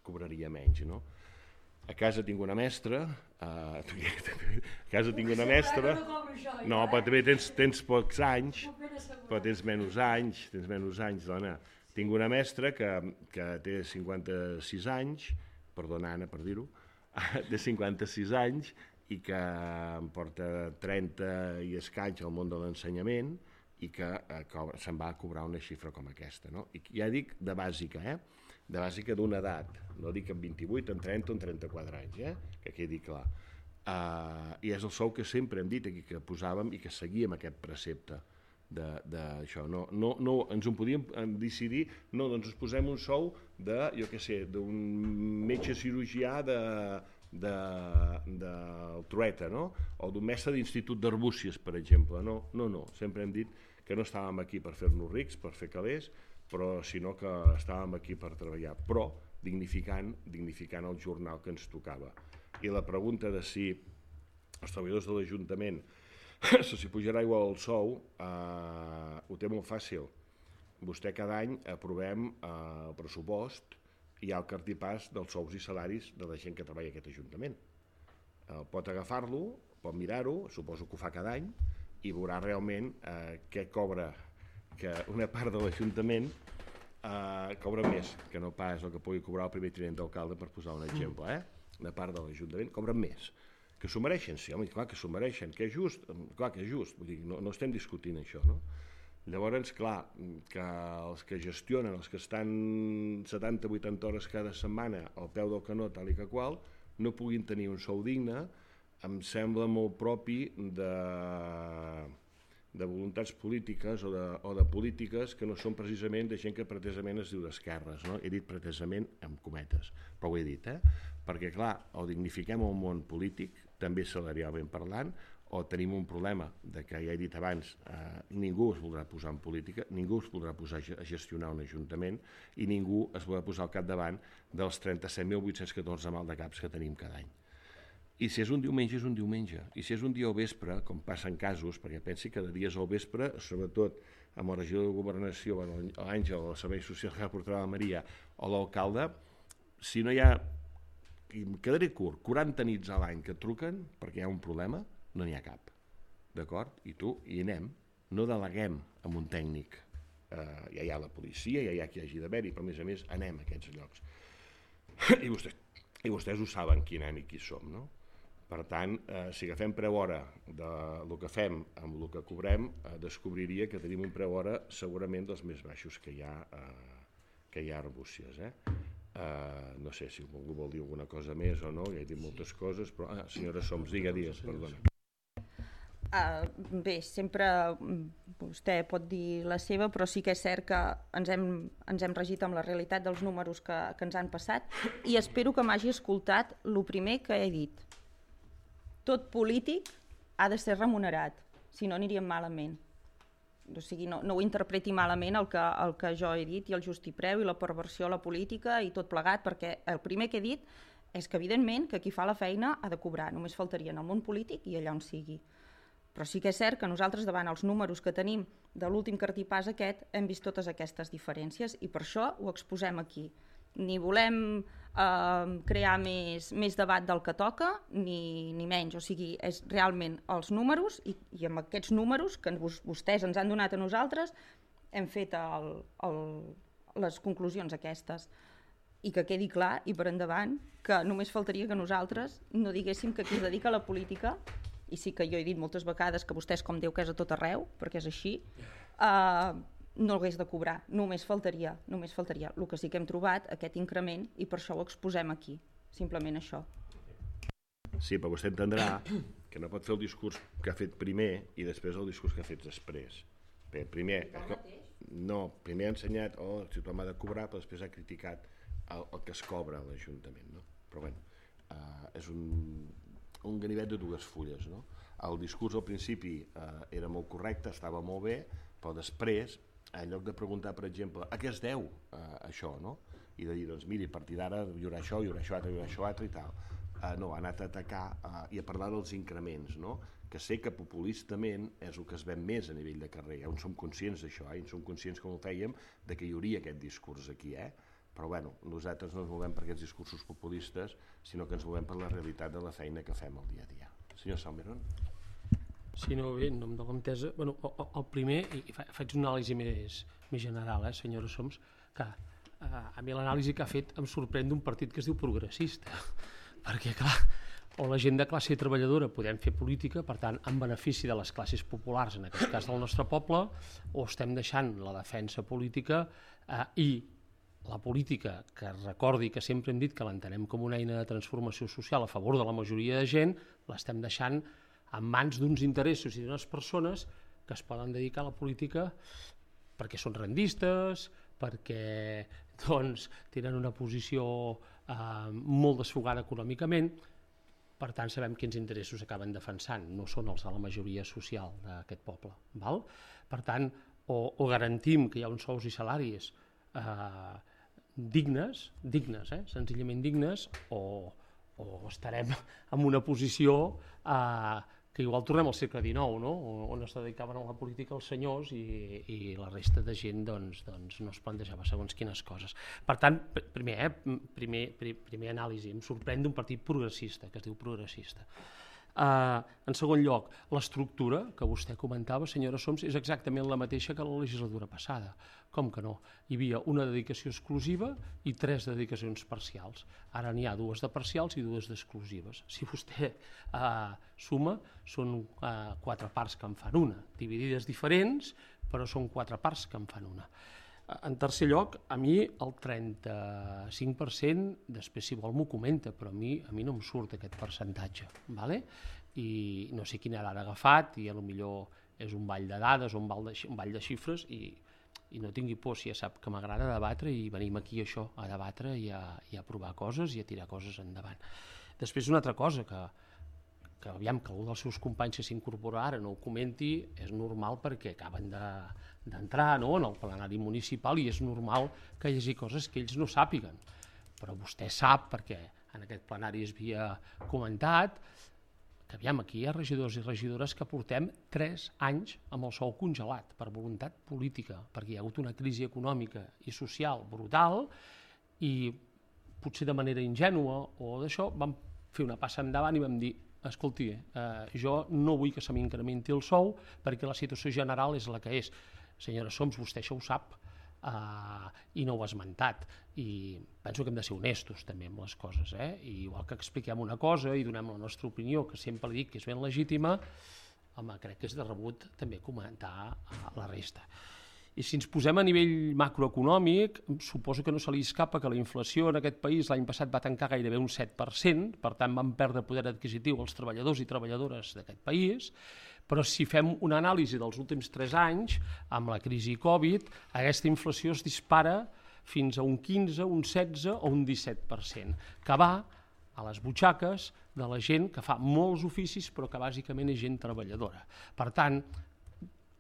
cobraria menys, no? A casa tinc una mestra, uh, a casa tinc una mestra, no, però també tens, tens pocs anys, però tens menys anys, tens menys anys, dona. Tinc una mestra que, que té cinquanta-sis anys, perdona Anna per dir-ho, té cinquanta-sis anys i que em porta trenta i escaig al món de l'ensenyament i que eh, se'n va a cobrar una xifra com aquesta, no? I ja dic de bàsica, eh? De bàsica d'una edat, no dic en vint-i-vuit, en trenta o en trenta-quatre anys, eh? Que quedi clar. Uh, I és el sou que sempre hem dit aquí, que posàvem i que seguíem aquest precepte d'això. No, no, no, ens ho podíem decidir, no, doncs ens posem un sou de, jo què sé, d'un metge cirurgià de, de, de Trueta, no? O d'un mestre d'institut d'Arbúcies, per exemple. No, no, no, sempre hem dit que no estàvem aquí per fer-nos rics, per fer calés, però sinó que estàvem aquí per treballar, però dignificant, dignificant el jornal que ens tocava. I la pregunta de si els treballadors de l'Ajuntament si pujarà igual el sou, eh, ho té molt fàcil. Vostè cada any aprovem eh, el pressupost i hi ha el cartipàs dels sous i salaris de la gent que treballa a aquest Ajuntament. Eh, pot agafar-lo, pot mirar-ho, suposo que ho fa cada any, i veurà realment eh, què cobra, que una part de l'Ajuntament eh, cobra més que no pas el que pugui cobrar el primer tinent d'alcalde, per posar un exemple, eh? Una part de l'Ajuntament cobra més. Que s'ho mereixen, sí, home, clar que s'ho mereixen, que és just, clar que és just, vull dir, no, no estem discutint això, no? Llavors, clar, que els que gestionen, els que estan setanta o vuitanta hores cada setmana al peu del canó, tal i que qual, no puguin tenir un sou digne, em sembla molt propi de, de voluntats polítiques o de, o de polítiques que no són precisament de gent que pretesament es diu d'esquerres, no? He dit pretesament amb cometes, però ho he dit, eh? Perquè, clar, o dignifiquem el món polític, també salarialment parlant, o tenim un problema de que, ja he dit abans, eh, ningú es voldrà posar en política, ningú es voldrà posar a gestionar un ajuntament i ningú es voldrà posar al capdavant dels trenta-set mil vuit-cents catorze maldecaps que tenim cada any. I si és un diumenge, és un diumenge. I si és un dia al vespre, com passa en casos, perquè pensi que de dies al vespre, sobretot amb el regidor de Governació, l'Àngel, el Servei Social que portarà la Maria, o l'alcalde, si no hi ha, i em quedaré curt, quaranta nits a l'any que et truquen perquè hi ha un problema, no n'hi ha cap. D'acord? I tu, hi anem. No deleguem amb un tècnic. Eh, ja hi ha la policia, ja hi ha qui hagi d'haver-hi, però a més a més anem a aquests llocs. I vostès, i vostès ho saben qui anem i qui som, no? Per tant, eh, si agafem preu hora del que fem amb el que cobrem, eh, descobriria que tenim un preu hora segurament dels més baixos que hi ha, eh, que hi ha a Arbúcies. Eh? Uh, no sé si algú vol dir alguna cosa més o no, ja he dit moltes coses, però... Ah, senyora Soms, digue, digues, perdona. Uh, bé, sempre vostè pot dir la seva, però sí que és cert que ens hem, ens hem regit amb la realitat dels números que, que ens han passat i espero que m'hagi escoltat el primer que he dit. Tot polític ha de ser remunerat, si no aniríem malament. O sigui, no, no ho interpreti malament el que, el que jo he dit i el justipreu i la perversió a la política i tot plegat, perquè el primer que he dit és que evidentment que qui fa la feina ha de cobrar, només faltaria en el món polític i allà on sigui. Però sí que és cert que nosaltres davant els números que tenim de l'últim cartipàs aquest hem vist totes aquestes diferències i per això ho exposem aquí. Ni volem eh, crear més, més debat del que toca, ni, ni menys. O sigui, és realment els números i, i amb aquests números que vos, vostès ens han donat a nosaltres hem fet el, el, les conclusions aquestes. I que quedi clar i per endavant que només faltaria que nosaltres no diguéssim que qui es dedica a la política, i sí que jo he dit moltes vegades que vostès com Déu que és a tot arreu, perquè és així, eh, no hagués de cobrar, només faltaria, només faltaria. El que sí que hem trobat, aquest increment, i per això ho exposem aquí, simplement això. Sí, però vostè entendrà que no pot fer el discurs que ha fet primer i després el discurs que ha fet després. Bé, primer, no, primer ha ensenyat, oh, el tothom ha de cobrar, però després ha criticat el, el que es cobra a l'Ajuntament, no? Però bueno, uh, és un, un ganivet de dues fulles, no? El discurs al principi uh, era molt correcte, estava molt bé, però després, en lloc de preguntar, per exemple, a què es deu uh, això, no? I de dir, doncs miri, a partir d'ara hi haurà això, hi haurà això altre, hi haurà això altre i tal. Uh, no, ha anat a atacar uh, i a parlar dels increments, no? Que sé que populistament és el que es ven més a nivell de carrer, eh? On som conscients d'això, eh? I som conscients, com ho fèiem, de que hi hauria aquest discurs aquí, eh? Però bueno, nosaltres no ens movem per aquests discursos populistes, sinó que ens movem per la realitat de la feina que fem el dia a dia. Senyor Salmeron. Sí, no, bé, en nom de l'entesa, bueno, el primer, i faig una anàlisi més, més general, eh, senyora Soms, que eh, a mi l'anàlisi que ha fet em sorprèn d'un partit que es diu progressista, perquè clar, o la gent de classe treballadora podem fer política, per tant, en benefici de les classes populars, en aquest cas del nostre poble, o estem deixant la defensa política eh, i la política, que recordi que sempre hem dit que l'entenem com una eina de transformació social a favor de la majoria de gent, l'estem deixant en mans d'uns interessos i d'unes persones que es poden dedicar a la política perquè són rendistes, perquè doncs, tenen una posició eh, molt desfogada econòmicament, per tant sabem quins interessos acaben defensant, no són els de la majoria social d'aquest poble. Val? Per tant, o, o garantim que hi ha uns sous i salaris eh, dignes, dignes, eh, senzillament dignes, o, o estarem en una posició eh, que igual tornem al segle dinou, no? On es dedicaven a la política els senyors i, i la resta de gent doncs, doncs no es plantejava segons quines coses. Per tant, primer, eh, primer, primer anàlisi, em sorprèn d'un partit progressista, que es diu progressista. Uh, en segon lloc, l'estructura que vostè comentava, senyora Soms, és exactament la mateixa que la legislatura passada. Com que no? Hi havia una dedicació exclusiva i tres dedicacions parcials. Ara n'hi ha dues de parcials i dues d'exclusives. Si vostè uh, suma, són uh, quatre parts que en fan una, dividides diferents, però són quatre parts que en fan una. En tercer lloc, a mi el trenta-cinc per cent, després si vol m'ho comenta, però a mi, a mi no em surt aquest percentatge, ¿vale? I no sé quina dada ha agafat, i potser és un ball de dades o un ball de, un ball de xifres, i, i no tingui por, si ja sap que m'agrada debatre i venim aquí això, a debatre i a, i a provar coses i a tirar coses endavant. Després una altra cosa que, que aviam que algú dels seus companys que s'incorpora ara no ho comenti, és normal perquè acaben de d'entrar no, en el plenari municipal i és normal que hi hagi coses que ells no sàpiguen. Però vostè sap, perquè en aquest plenari es havia comentat, que aviam, aquí hi ha regidors i regidores que portem tres anys amb el sou congelat per voluntat política, perquè hi ha hagut una crisi econòmica i social brutal i potser de manera ingènua o d'això vam fer una passa endavant i vam dir escolti, eh, jo no vull que se m'incrementi el sou perquè la situació general és la que és. Senyora Soms, vostè això ho sap uh, i no ho ha esmentat i penso que hem de ser honestos també amb les coses, eh? I igual que expliquem una cosa i donem la nostra opinió, que sempre dic que és ben legítima, home, crec que és de rebut també comentar uh, la resta. I si ens posem a nivell macroeconòmic, suposo que no se li escapa que la inflació en aquest país l'any passat va tancar gairebé un set per cent, per tant van perdre poder adquisitiu els treballadors i treballadores d'aquest país, però si fem una anàlisi dels últims tres anys, amb la crisi Covid, aquesta inflació es dispara fins a un quinze, un setze o un disset per cent, que va a les butxaques de la gent que fa molts oficis però que bàsicament és gent treballadora. Per tant,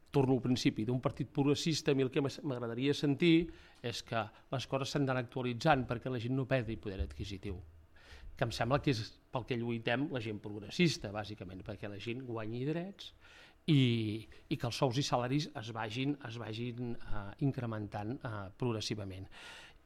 torno al principi, d'un partit progressista, a mi el que m'agradaria sentir és que les coses s'han d'anar actualitzant perquè la gent no perdi poder adquisitiu. que em sembla que és pel que lluitem la gent progressista, bàsicament, perquè la gent guanyi drets i, i que els sous i salaris es vagin, es vagin uh, incrementant uh, progressivament.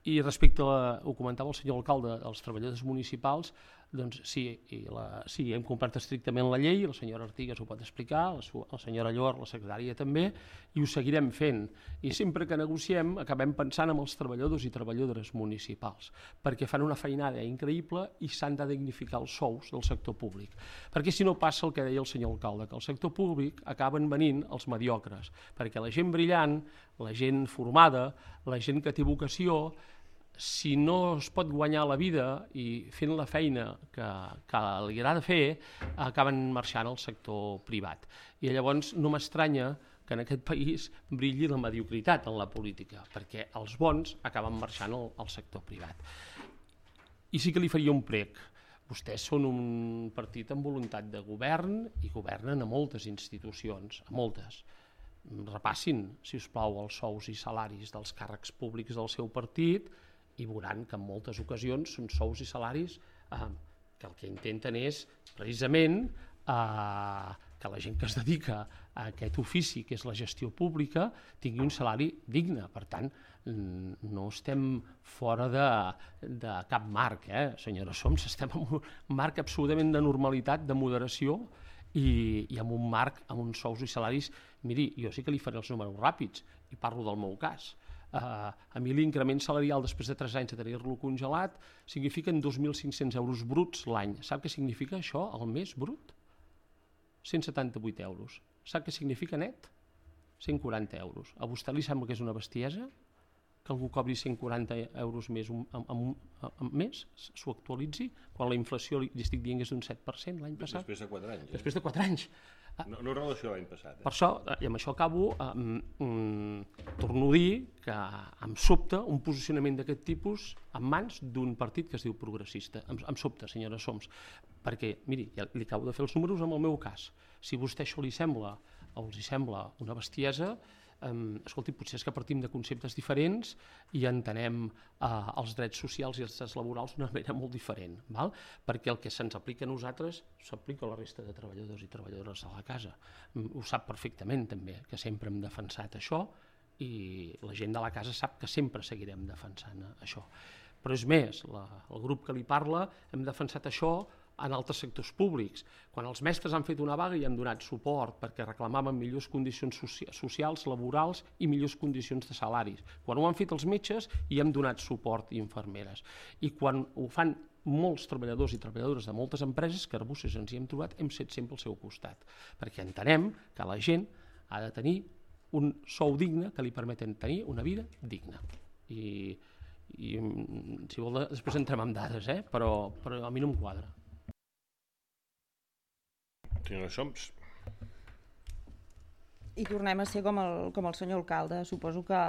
I respecte a, la, ho comentava el senyor alcalde, als treballadors municipals, doncs sí, i la, sí, hem complert estrictament la llei, la senyora Artigas ho pot explicar, la, la senyora Llor, la secretària també, i ho seguirem fent. I sempre que negociem acabem pensant en els treballadors i treballadores municipals, perquè fan una feinada increïble i s'han de dignificar els sous del sector públic. Perquè si no passa el que deia el senyor alcalde, que al sector públic acaben venint els mediocres, perquè la gent brillant, la gent formada, la gent que té vocació, si no es pot guanyar la vida i fent la feina que, que li agrada fer, acaben marxant al sector privat. I llavors no m'estranya que en aquest país brilli la mediocritat en la política, perquè els bons acaben marxant al, al sector privat. I sí que li faria un prec. Vostès són un partit amb voluntat de govern i governen a moltes institucions, a moltes. Repassin, si us plau, els sous i salaris dels càrrecs públics del seu partit i veuran que en moltes ocasions són sous i salaris eh, que el que intenten és precisament eh, que la gent que es dedica a aquest ofici, que és la gestió pública, tingui un salari digne. Per tant, no estem fora de, de cap marc, eh, senyora Soms, estem en un marc absolutament de normalitat, de moderació i, i amb un marc, amb uns sous i salaris. Miri, jo sí que li faré els números ràpids i parlo del meu cas. Uh, a mi l'increment salarial després de tres anys de tenir-lo congelat signifiquen dos mil cinc-cents euros bruts l'any. Sap què significa això al mes brut? cent setanta-vuit euros. Sap què significa net? cent quaranta euros. A vostè li sembla que és una bestiesa que algú cobri cent quaranta euros més un, un, un, un mes, s'ho actualitzi, quan la inflació li, li estic dient que és d'un set per cent l'any passat? Després de quatre anys. Eh? Després de quatre anys. No, no relació l'any passat. Eh? Per això, i amb això acabo, eh, mm, torno a dir que em sobta un posicionament d'aquest tipus en mans d'un partit que es diu progressista. Em, em sobta, senyora Soms, perquè, miri, ja li acabo de fer els números amb el meu cas. Si a vostè això li sembla o els hi sembla una bestiesa, Um, escolti, potser és que partim de conceptes diferents i entenem uh, els drets socials i els drets laborals d'una manera molt diferent, val? Perquè el que se'ns aplica a nosaltres s'aplica a la resta de treballadors i treballadores de la casa. Um, ho sap perfectament també, que sempre hem defensat això i la gent de la casa sap que sempre seguirem defensant això. Però és més, la, el grup que li parla hem defensat això en altres sectors públics. Quan els mestres han fet una vaga i han donat suport perquè reclamaven millors condicions socials, laborals i millors condicions de salaris. Quan ho han fet els metges i hem donat suport i infermeres. I quan ho fan molts treballadors i treballadores de moltes empreses, que Arbusses ens hi hem trobat, hem set sempre al seu costat. Perquè entenem que la gent ha de tenir un sou digne que li permeten tenir una vida digna. I, i si vol, després entrem amb dades, eh? però, però a mi no em quadra. Senyora Soms. I tornem a ser com el, com el senyor alcalde. Suposo que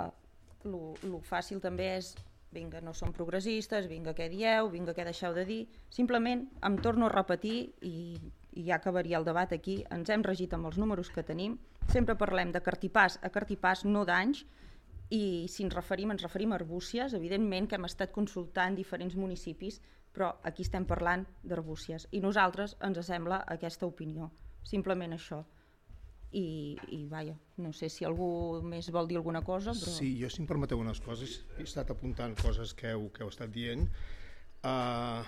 el fàcil també és vinga, no som progressistes, vinga, què dieu, vinga, què deixeu de dir. Simplement em torno a repetir i, i ja acabaria el debat aquí. Ens hem regit amb els números que tenim. Sempre parlem de cartipàs a cartipàs, no d'anys, i si ens referim, ens referim a Arbúcies, evidentment que hem estat consultant diferents municipis, però aquí estem parlant d'Arbúcies i nosaltres ens sembla aquesta opinió, simplement això. I, i vaja, no sé si algú més vol dir alguna cosa, però... Sí, jo si em permeteu unes coses, he estat apuntant coses que heu, que heu estat dient. Uh,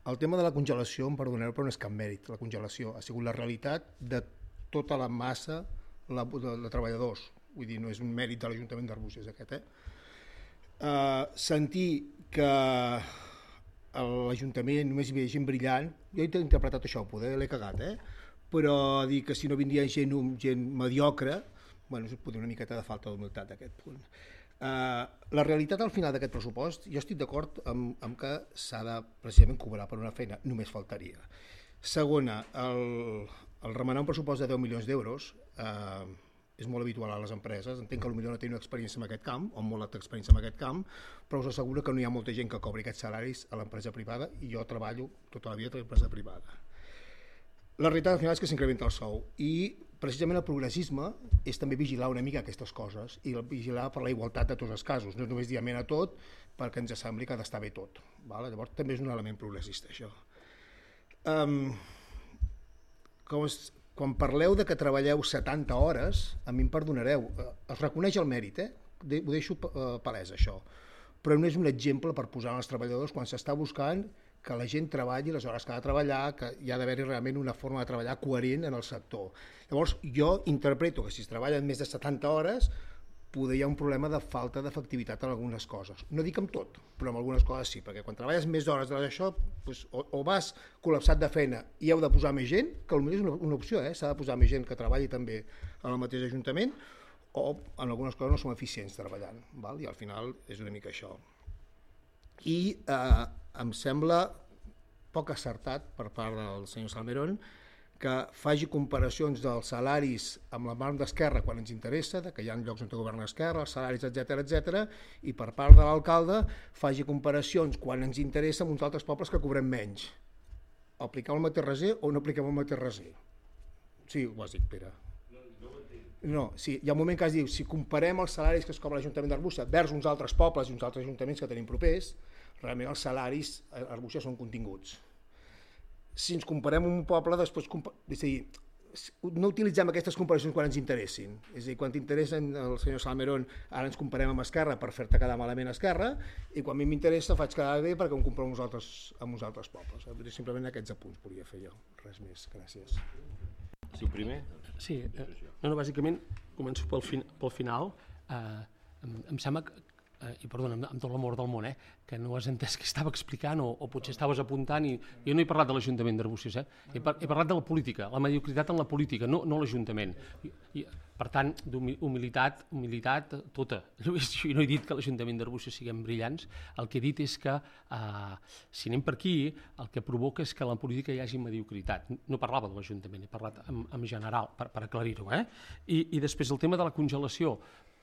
el tema de la congelació, em perdoneu, però no és cap mèrit. La congelació ha sigut la realitat de tota la massa la, de, de treballadors. Vull dir, no és un mèrit de l'Ajuntament d'Arbúcies aquest, eh? Uh, sentir que l'Ajuntament només hi havia gent brillant, jo he interpretat això, poder l'he cagat, eh? Però dir que si no vindria gent, gent mediocre, bueno, és una miqueta de falta d'humilitat d'aquest punt. Uh, la realitat al final d'aquest pressupost, jo estic d'acord amb, amb que s'ha de precisament cobrar per una feina, només faltaria. Segona, el, el remenar un pressupost de deu milions d'euros uh, és molt habitual a les empreses, entenc que potser no tenen experiència en aquest camp, o molta experiència en aquest camp, però us asseguro que no hi ha molta gent que cobri aquests salaris a l'empresa privada, i jo treballo tota la vida a l'empresa privada. La realitat al final és que s'incrementa el sou, i precisament el progressisme és també vigilar una mica aquestes coses, i vigilar per la igualtat de tots els casos, no és només dir amén a tot perquè ens sembli que ha d'estar bé tot. Val? Llavors també és un element progressista, això. Um, com es, quan parleu de que treballeu setanta hores, a mi em perdonareu, es reconeix el mèrit, eh? De, ho deixo palès això, però no és un exemple per posar als treballadors quan s'està buscant que la gent treballi les hores que ha de treballar, que hi ha d'haver-hi realment una forma de treballar coherent en el sector. Llavors, jo interpreto que si es treballen més de setanta hores, poder hi ha un problema de falta d'efectivitat en algunes coses. No dic amb tot, però en algunes coses sí, perquè quan treballes més hores d'això, doncs, o, o vas col·lapsat de feina i heu de posar més gent, que potser és una, una opció, eh? S'ha de posar més gent que treballi també en el mateix ajuntament, o en algunes coses no som eficients treballant, val? I al final és una mica això. I eh, em sembla poc acertat per part del senyor Salmerón que faci comparacions dels salaris amb la mà d'Esquerra quan ens interessa, de que hi ha llocs on governa Esquerra, els salaris, etcètera, etcètera, i per part de l'alcalde faci comparacions quan ens interessa amb uns altres pobles que cobrem menys. Apliquem el mateix reser o no apliquem el mateix reser? Sí, ho has dit, Pere. No, sí, hi ha un moment que es diu, si comparem els salaris que es cobra l'Ajuntament d'Arbúcies vers uns altres pobles i uns altres ajuntaments que tenim propers, realment els salaris a Arbúcies són continguts. Si ens comparem un poble, després... És a dir, no utilitzem aquestes comparacions quan ens interessin. És a dir, quan t'interessen el senyor Salmerón, ara ens comparem amb Esquerra per fer-te quedar malament a Esquerra, i quan a mi m'interessa faig quedar bé perquè em compro amb uns altres, amb uns altres pobles. Simplement aquests apunts volia fer jo. Res més, gràcies. Sí, primer? Sí, eh, no, no, bàsicament començo pel, fin, pel final. Eh, em, em sembla que, eh, i perdona, amb, amb tot l'amor del món, eh, que no has entès què estava explicant o, o potser estaves apuntant i jo no he parlat de l'Ajuntament d'Arbúcies, eh? he, par he parlat de la política, la mediocritat en la política, no, no l'Ajuntament. Per tant, d'humilitat, humilitat tota. Jo no he dit que l'Ajuntament d'Arbúcies siguem brillants, el que he dit és que eh, si anem per aquí, el que provoca és que en la política hi hagi mediocritat. No parlava de l'Ajuntament, he parlat en, en general, per, per aclarir-ho. Eh? I, I després el tema de la congelació.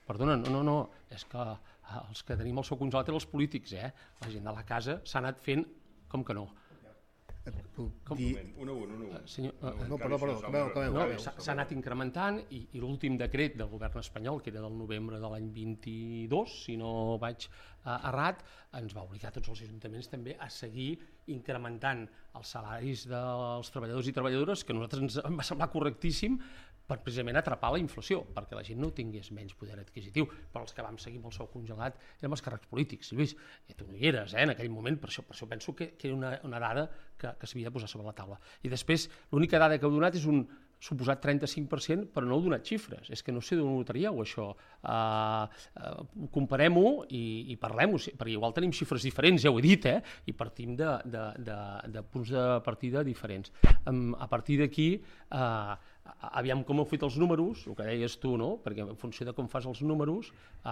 Perdona, no, no, no, és que els que tenim el sou congelat eren els polítics, eh? La gent de la casa s'ha anat fent com que no. Com? Dir... Un a un, un a un. Senyor, no, perdó, perdó, acabeu, acabeu. No, s'ha anat incrementant i, i l'últim decret del govern espanyol, que era del novembre de l'any vint-i-dos, si no vaig uh, errat, ens va obligar a tots els ajuntaments també a seguir incrementant els salaris dels treballadors i treballadores, que a nosaltres ens va semblar correctíssim, per precisament atrapar la inflació, perquè la gent no tingués menys poder adquisitiu, però els que vam seguir amb el sou congelat érem els càrrecs polítics. Lluís, tu no hi eres, eh, en aquell moment, per això, per això penso que, que era una, una dada que, que s'havia de posar sobre la taula. I després, l'única dada que heu donat és un suposat trenta-cinc per cent, però no heu donat xifres. És que no sé d'on ho traríeu, això. Uh, uh, Comparem-ho i, i parlem-ho, perquè igual tenim xifres diferents, ja ho he dit, eh? I partim de, de, de, de punts de partida diferents. Um, a partir d'aquí, uh, aviam com heu fet els números, el que deies tu, no? Perquè en funció de com fas els números eh,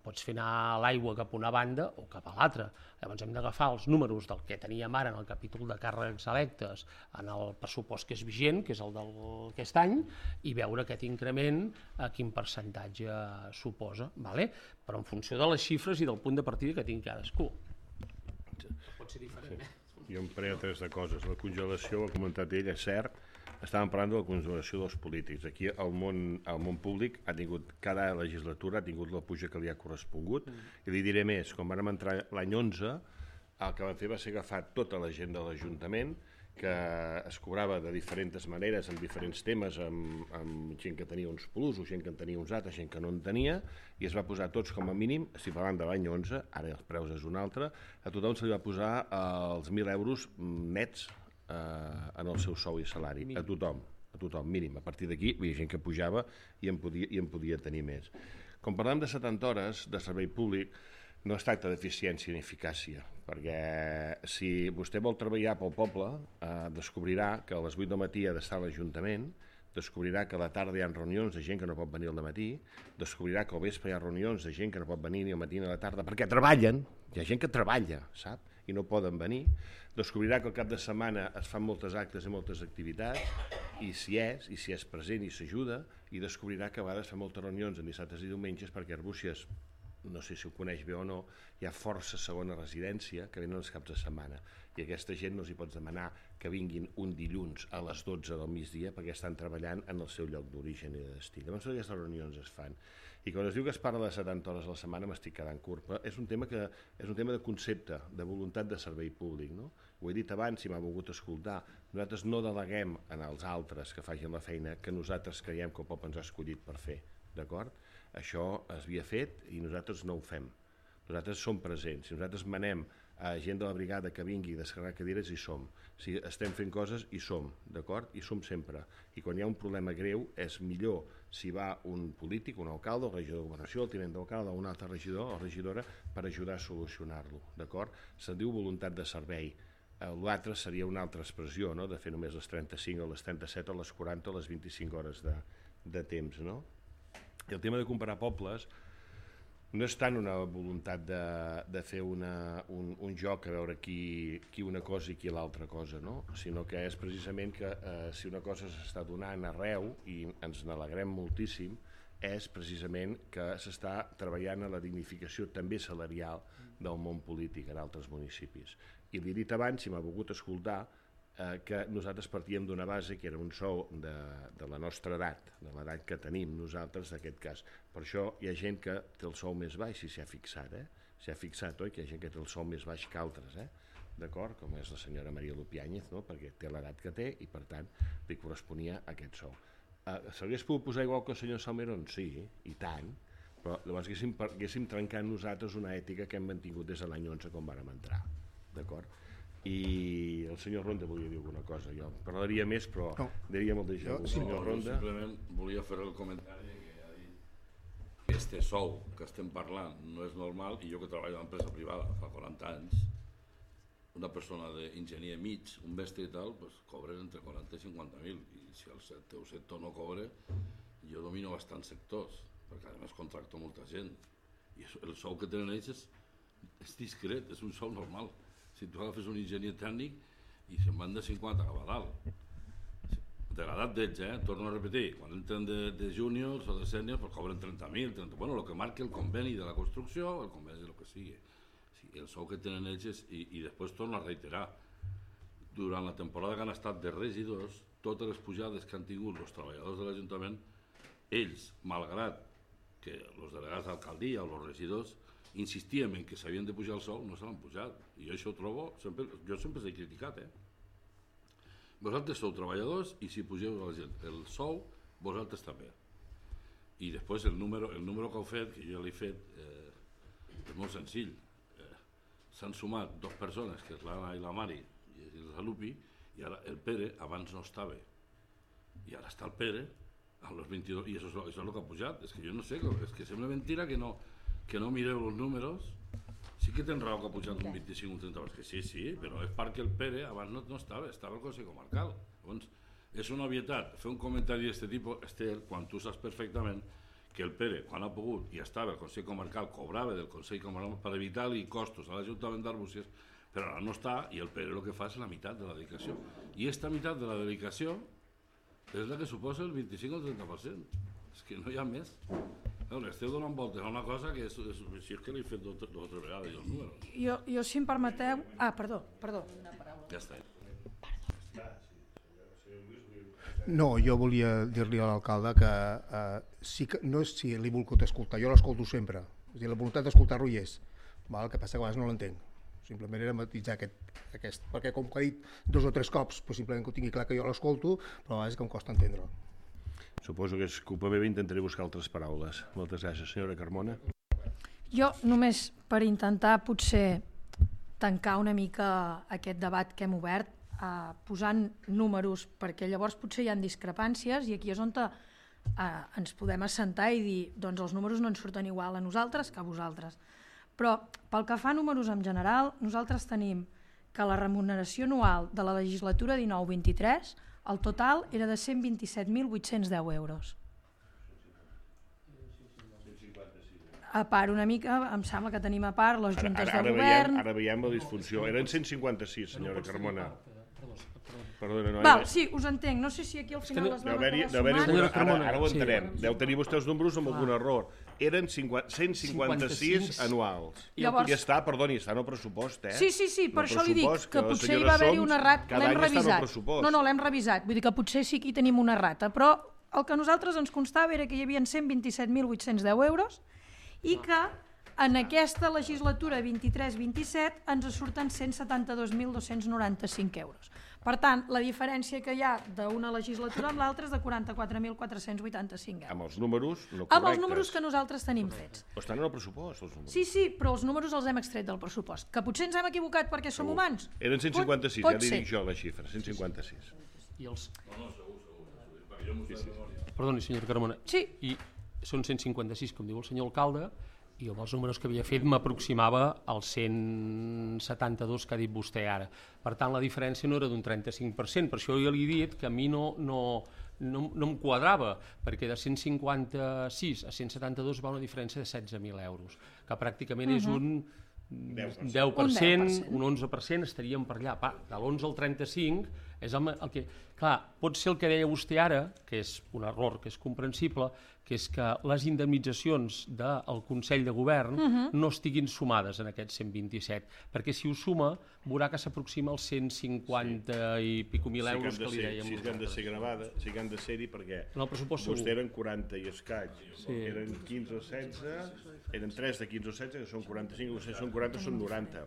pots fer anar l'aigua cap a una banda o cap a l'altra. Llavors hem d'agafar els números del que teníem ara en el capítol de càrrecs electes en el pressupost que és vigent, que és el d'aquest any, i veure aquest increment a quin percentatge suposa, vale? Però en funció de les xifres i del punt de partida que tingui cadascú. Pot ser diferent, eh? Jo em prenc tres de coses. La congelació, ho ha comentat ell, és cert. Estàvem parlant de la congelació dels polítics. Aquí el món, el món públic ha tingut, cada legislatura ha tingut la puja que li ha correspongut, mm. i li diré més, quan vam entrar l'any onze, el que vam fer va ser agafar tota la gent de l'Ajuntament, que es cobrava de diferents maneres, amb diferents temes, amb, amb gent que tenia uns plus, gent que en tenia uns altres, gent que no en tenia, i es va posar tots com a mínim, estic parlant de l'any onze, ara els preus és un altre, a tothom se li va posar els mil euros nets en el seu sou i salari, a tothom, a tothom, mínim. A partir d'aquí hi havia gent que pujava i en podia, i en podia tenir més. Quan parlem de setanta hores de servei públic, no es tracta d'eficiència ni eficàcia, perquè si vostè vol treballar pel poble, eh, descobrirà que a les vuit del matí ha d'estar a l'Ajuntament, descobrirà que a la tarda hi ha reunions de gent que no pot venir al matí, descobrirà que al vespre hi ha reunions de gent que no pot venir ni al matí ni a la tarda, perquè treballen, hi ha gent que treballa, sap? I no poden venir, descobrirà que al cap de setmana es fan moltes actes i moltes activitats, i si és, i si és present i s'ajuda, i descobrirà que a vegades fa moltes reunions en dissabtes i diumenges perquè Arbúcies, no sé si ho coneix bé o no, hi ha força segona residència que venen els caps de setmana, i aquesta gent no els hi pots demanar que vinguin un dilluns a les dotze del migdia perquè estan treballant en el seu lloc d'origen i de destí. Llavors aquestes reunions es fan. I quan es diu que es parla de setanta hores a la setmana m'estic quedant curt, però és un tema que és un tema de concepte, de voluntat de servei públic, no? Ho he dit abans, si m'ha volgut escoltar, nosaltres no deleguem en els altres que facin la feina que nosaltres creiem que el poble ens ha escollit per fer, d'acord? Això es havia fet i nosaltres no ho fem. Nosaltres som presents. Si nosaltres manem a gent de la brigada que vingui a descarregar cadires, hi som. Si estem fent coses, hi som, d'acord? Hi som sempre. I quan hi ha un problema greu, és millor si va un polític, un alcalde, el regidor de governació, el tinent d'alcalde, un altre regidor o regidora per ajudar a solucionar-lo, d'acord? Se'n diu voluntat de servei. L'altre seria una altra expressió, no?, de fer només les trenta-cinc o les trenta-set o les quaranta o les vint-i-cinc hores de, de temps, no? I el tema de comparar pobles no és tant una voluntat de, de fer una, un, un joc a veure qui, qui una cosa i qui l'altra cosa, no? Sinó que és precisament que eh, si una cosa s'està donant arreu i ens n'alegrem moltíssim, és precisament que s'està treballant a la dignificació també salarial del món polític en altres municipis. I li he dit abans, si m'ha volgut escoltar, eh, que nosaltres partíem d'una base que era un sou de, de la nostra edat, de l'edat que tenim nosaltres d'aquest cas. Per això hi ha gent que té el sou més baix, si s'hi ha fixat, eh? S'hi ha fixat, oi? Que hi ha gent que té el sou més baix que altres, eh? D'acord? Com és la senyora Maria Lupiáñez, no? Perquè té l'edat que té i, per tant, li corresponia aquest sou. Eh, S'hauria pogut posar igual que el senyor Salmerón? Sí, i tant, però llavors haguéssim, haguéssim trencat nosaltres una ètica que hem mantingut des de l'any onze quan vàrem entrar, d'acord? I el senyor Ronda volia dir alguna cosa, jo parlaria més però no. Diria molt de gent. El senyor Ronda... Simplement volia fer el comentari que ha dit que este sou que estem parlant no és normal, i jo que treballo a l'empresa privada fa quaranta anys, una persona d'enginyer mig, un mestre i tal, pues, cobren entre quaranta i cinquanta mil, i si el teu sector no cobre, jo domino bastants sectors, perquè a més contracto molta gent, i el sou que tenen ells és, és discret, és un sou normal. Si tu agafes un enginyer tècnic i se'n van de cinquanta cap a dalt. De l'edat d'ells, eh? Torno a repetir, quan entren de, de júniors o de sèniors, pues cobren trenta mil, trenta... bueno, el que marca el conveni de la construcció o el conveni de lo que sigui. Sí, el sou que tenen ells és... I, i després torno a reiterar, durant la temporada que han estat de regidors, totes les pujades que han tingut els treballadors de l'Ajuntament, ells, malgrat que els delegats d'alcaldia o els regidors insistíem en que s'havien de pujar el sou, no se l'han pujat. I jo això ho trobo, sempre, jo sempre s'he criticat, eh? Vosaltres sou treballadors i si pugeu a la gent el sou, vosaltres també. I després el número, el número que heu fet, que jo l'he fet, eh, és molt senzill. Eh, S'han sumat dues persones, que és l'Anna i la Mari, i el Lupi, i ara el Pere abans no estava. I ara està el Pere, a los vint-i-dos, i això, això és el que ha pujat. És que jo no sé, és que sembla mentira que no... que no mireu els números. Sí que tens raó que ha pujat un vint-i-cinc o un trenta, que sí, sí, però és perquè el Pere abans no, no estava, estava al Consell Comarcal. Llavors, és una obvietat fer un comentari d'aquest tipus, Esther, quan tu saps perfectament que el Pere, quan ha pogut i estava al Consell Comarcal, cobrava del Consell Comarcal per evitar-li costos a l'Ajuntament d'Arbúcies, però ara no està i el Pere el que fa és la meitat de la dedicació. I aquesta meitat de la dedicació és la que suposa el vint-i-cinc o el trenta per cent. És que no hi ha més. Veure, esteu donant voltes a una cosa que és, és, si és que l'he fet dues o tres vegades, els números. Jo, jo, si em permeteu... Ah, perdó, perdó. Ja està. No, jo volia dir-li a l'alcalde que eh, sí que no és si l'he volgut escoltar, jo l'escolto sempre. És a dir, la voluntat d'escoltar-lo hi és. Val? El que passa que a vegades no l'entenc. Simplement era matitzar aquest, aquest, perquè com que ha dit dos o tres cops, pues simplement que ho tingui clar que jo l'escolto, però a vegades que em costa entendre-ho. Suposo que és culpa meva, intentaré buscar altres paraules. Moltes gràcies, senyora Carmona. Jo només per intentar potser tancar una mica aquest debat que hem obert, eh, posant números, perquè llavors potser hi ha discrepàncies i aquí és on te, eh, ens podem assentar i dir doncs els números no ens surten igual a nosaltres que a vosaltres. Però pel que fa a números en general, nosaltres tenim que la remuneració anual de la legislatura dinou vint-i-tres el total era de cent vint-i-set mil vuit-cents deu euros. A part una mica, em sembla que tenim a part les juntes ara, ara, de ara govern... Veiem, ara veiem la disfunció. Eren cent cinquanta-sis, senyora Carmona. Perdona, no, Val, era... sí, us entenc. No sé si aquí al final es va acabar sumant. sumant. Ara, ara ho entenem. Sí. Deu tenir vostè els números amb algun error. Eren cent cinquanta-sis anuals. Llavors... I està, perdoni, està en el pressupost, eh? Sí, sí, sí, per això li dic que potser hi va haver-hi un errat. L'hem revisat. No, no, l'hem revisat. Vull dir que potser sí que hi tenim una errata. Però el que a nosaltres ens constava era que hi havia cent vint-i-set mil vuit-cents deu euros i que en aquesta legislatura vint-i-tres vint-i-set ens surten cent setanta-dos mil dos-cents noranta-cinc euros. Per tant, la diferència que hi ha d'una legislatura amb l'altra és de quaranta-quatre mil quatre-cents vuitanta-cinc euros. Amb els números no correctes. Amb els números que nosaltres tenim fets. Però estan en el pressupost, els números. Sí, sí, però els números els hem extret del pressupost. Que potser ens hem equivocat perquè som humans. Eren cent cinquanta-sis, pot, ja pot li ser. dic jo la xifra, cent cinquanta-sis. I els... Perdoni, senyor Carmona. Sí. I són cent cinquanta-sis, com diu el senyor alcalde, i amb els números que havia fet m'aproximava als cent setanta-dos que ha dit vostè ara. Per tant, la diferència no era d'un trenta-cinc per cent, per això jo li he dit que a mi no, no, no, no em quadrava, perquè de cent cinquanta-sis a cent setanta-dos va una diferència de setze mil euros, que pràcticament uh-huh. és un deu per cent, un onze per cent, estaríem per allà. Pa, de l'onze al trenta-cinc és el, el que... Clar, pot ser el que deia vostè ara, que és un error que és comprensible, que és que les indemnitzacions del Consell de Govern uh-huh. no estiguin sumades en aquests cent vint-i-set, perquè si ho suma veurà que s'aproxima als cent cinquanta sí. i pico mil euros sí que, que li dèiem. Sí que han de ser gravades, sí que han de ser-hi perquè en el pressupost vostè segur. Eren quaranta i escaig, sí. eren quinze o setze, eren tres de quinze o setze, que són quaranta-cinc, vostès són quaranta, són noranta.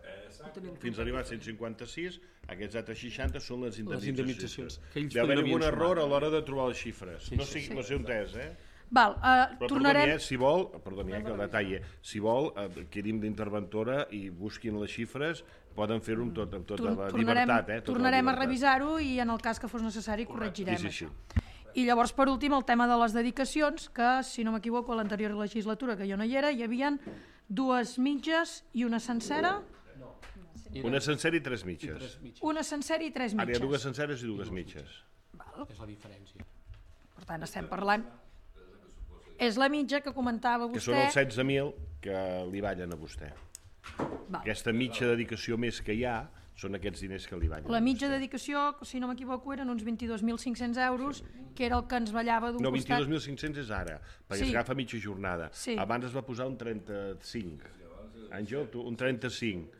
Fins a arribar a cent cinquanta-sis, aquests altres seixanta són les indemnitzacions. Les indemnitzacions. Deu haver algun error a l'hora de trobar les xifres. Sí, no sé, sí. no sé on és, eh? Val, uh, Però tornarem... perdoni, eh, si vol, perdoni, eh, que el detall, si vol, eh, quedim d'interventora i busquin les xifres, poden fer-ho amb, tot, amb tota Tor la tornarem, llibertat. Eh, tota tornarem la a revisar-ho i en el cas que fos necessari corregirem sí, sí, això. sí. I llavors, per últim, el tema de les dedicacions, que, si no m'equivoco, a l'anterior legislatura, que jo no hi era, hi havia dues mitges i una sencera... Una sencera i tres mitges. Una sencera i tres mitges. Ara hi ha dues senceres i dues mitges. Val. És la diferència. Per tant, estem parlant... És la mitja que comentava vostè... Que són els setze mil que li ballen a vostè. Val. Aquesta mitja dedicació més que hi ha són aquests diners que li ballen. La mitja dedicació, si no m'equivoco, eren uns vint-i-dos mil cinc-cents euros, que era el que ens ballava d'un no, costat... vint-i-dos mil cinc-cents és ara, perquè Sí. es agafa mitja jornada. Sí. Abans es va posar un trenta-cinc. Àngel, tu, un trenta-cinc.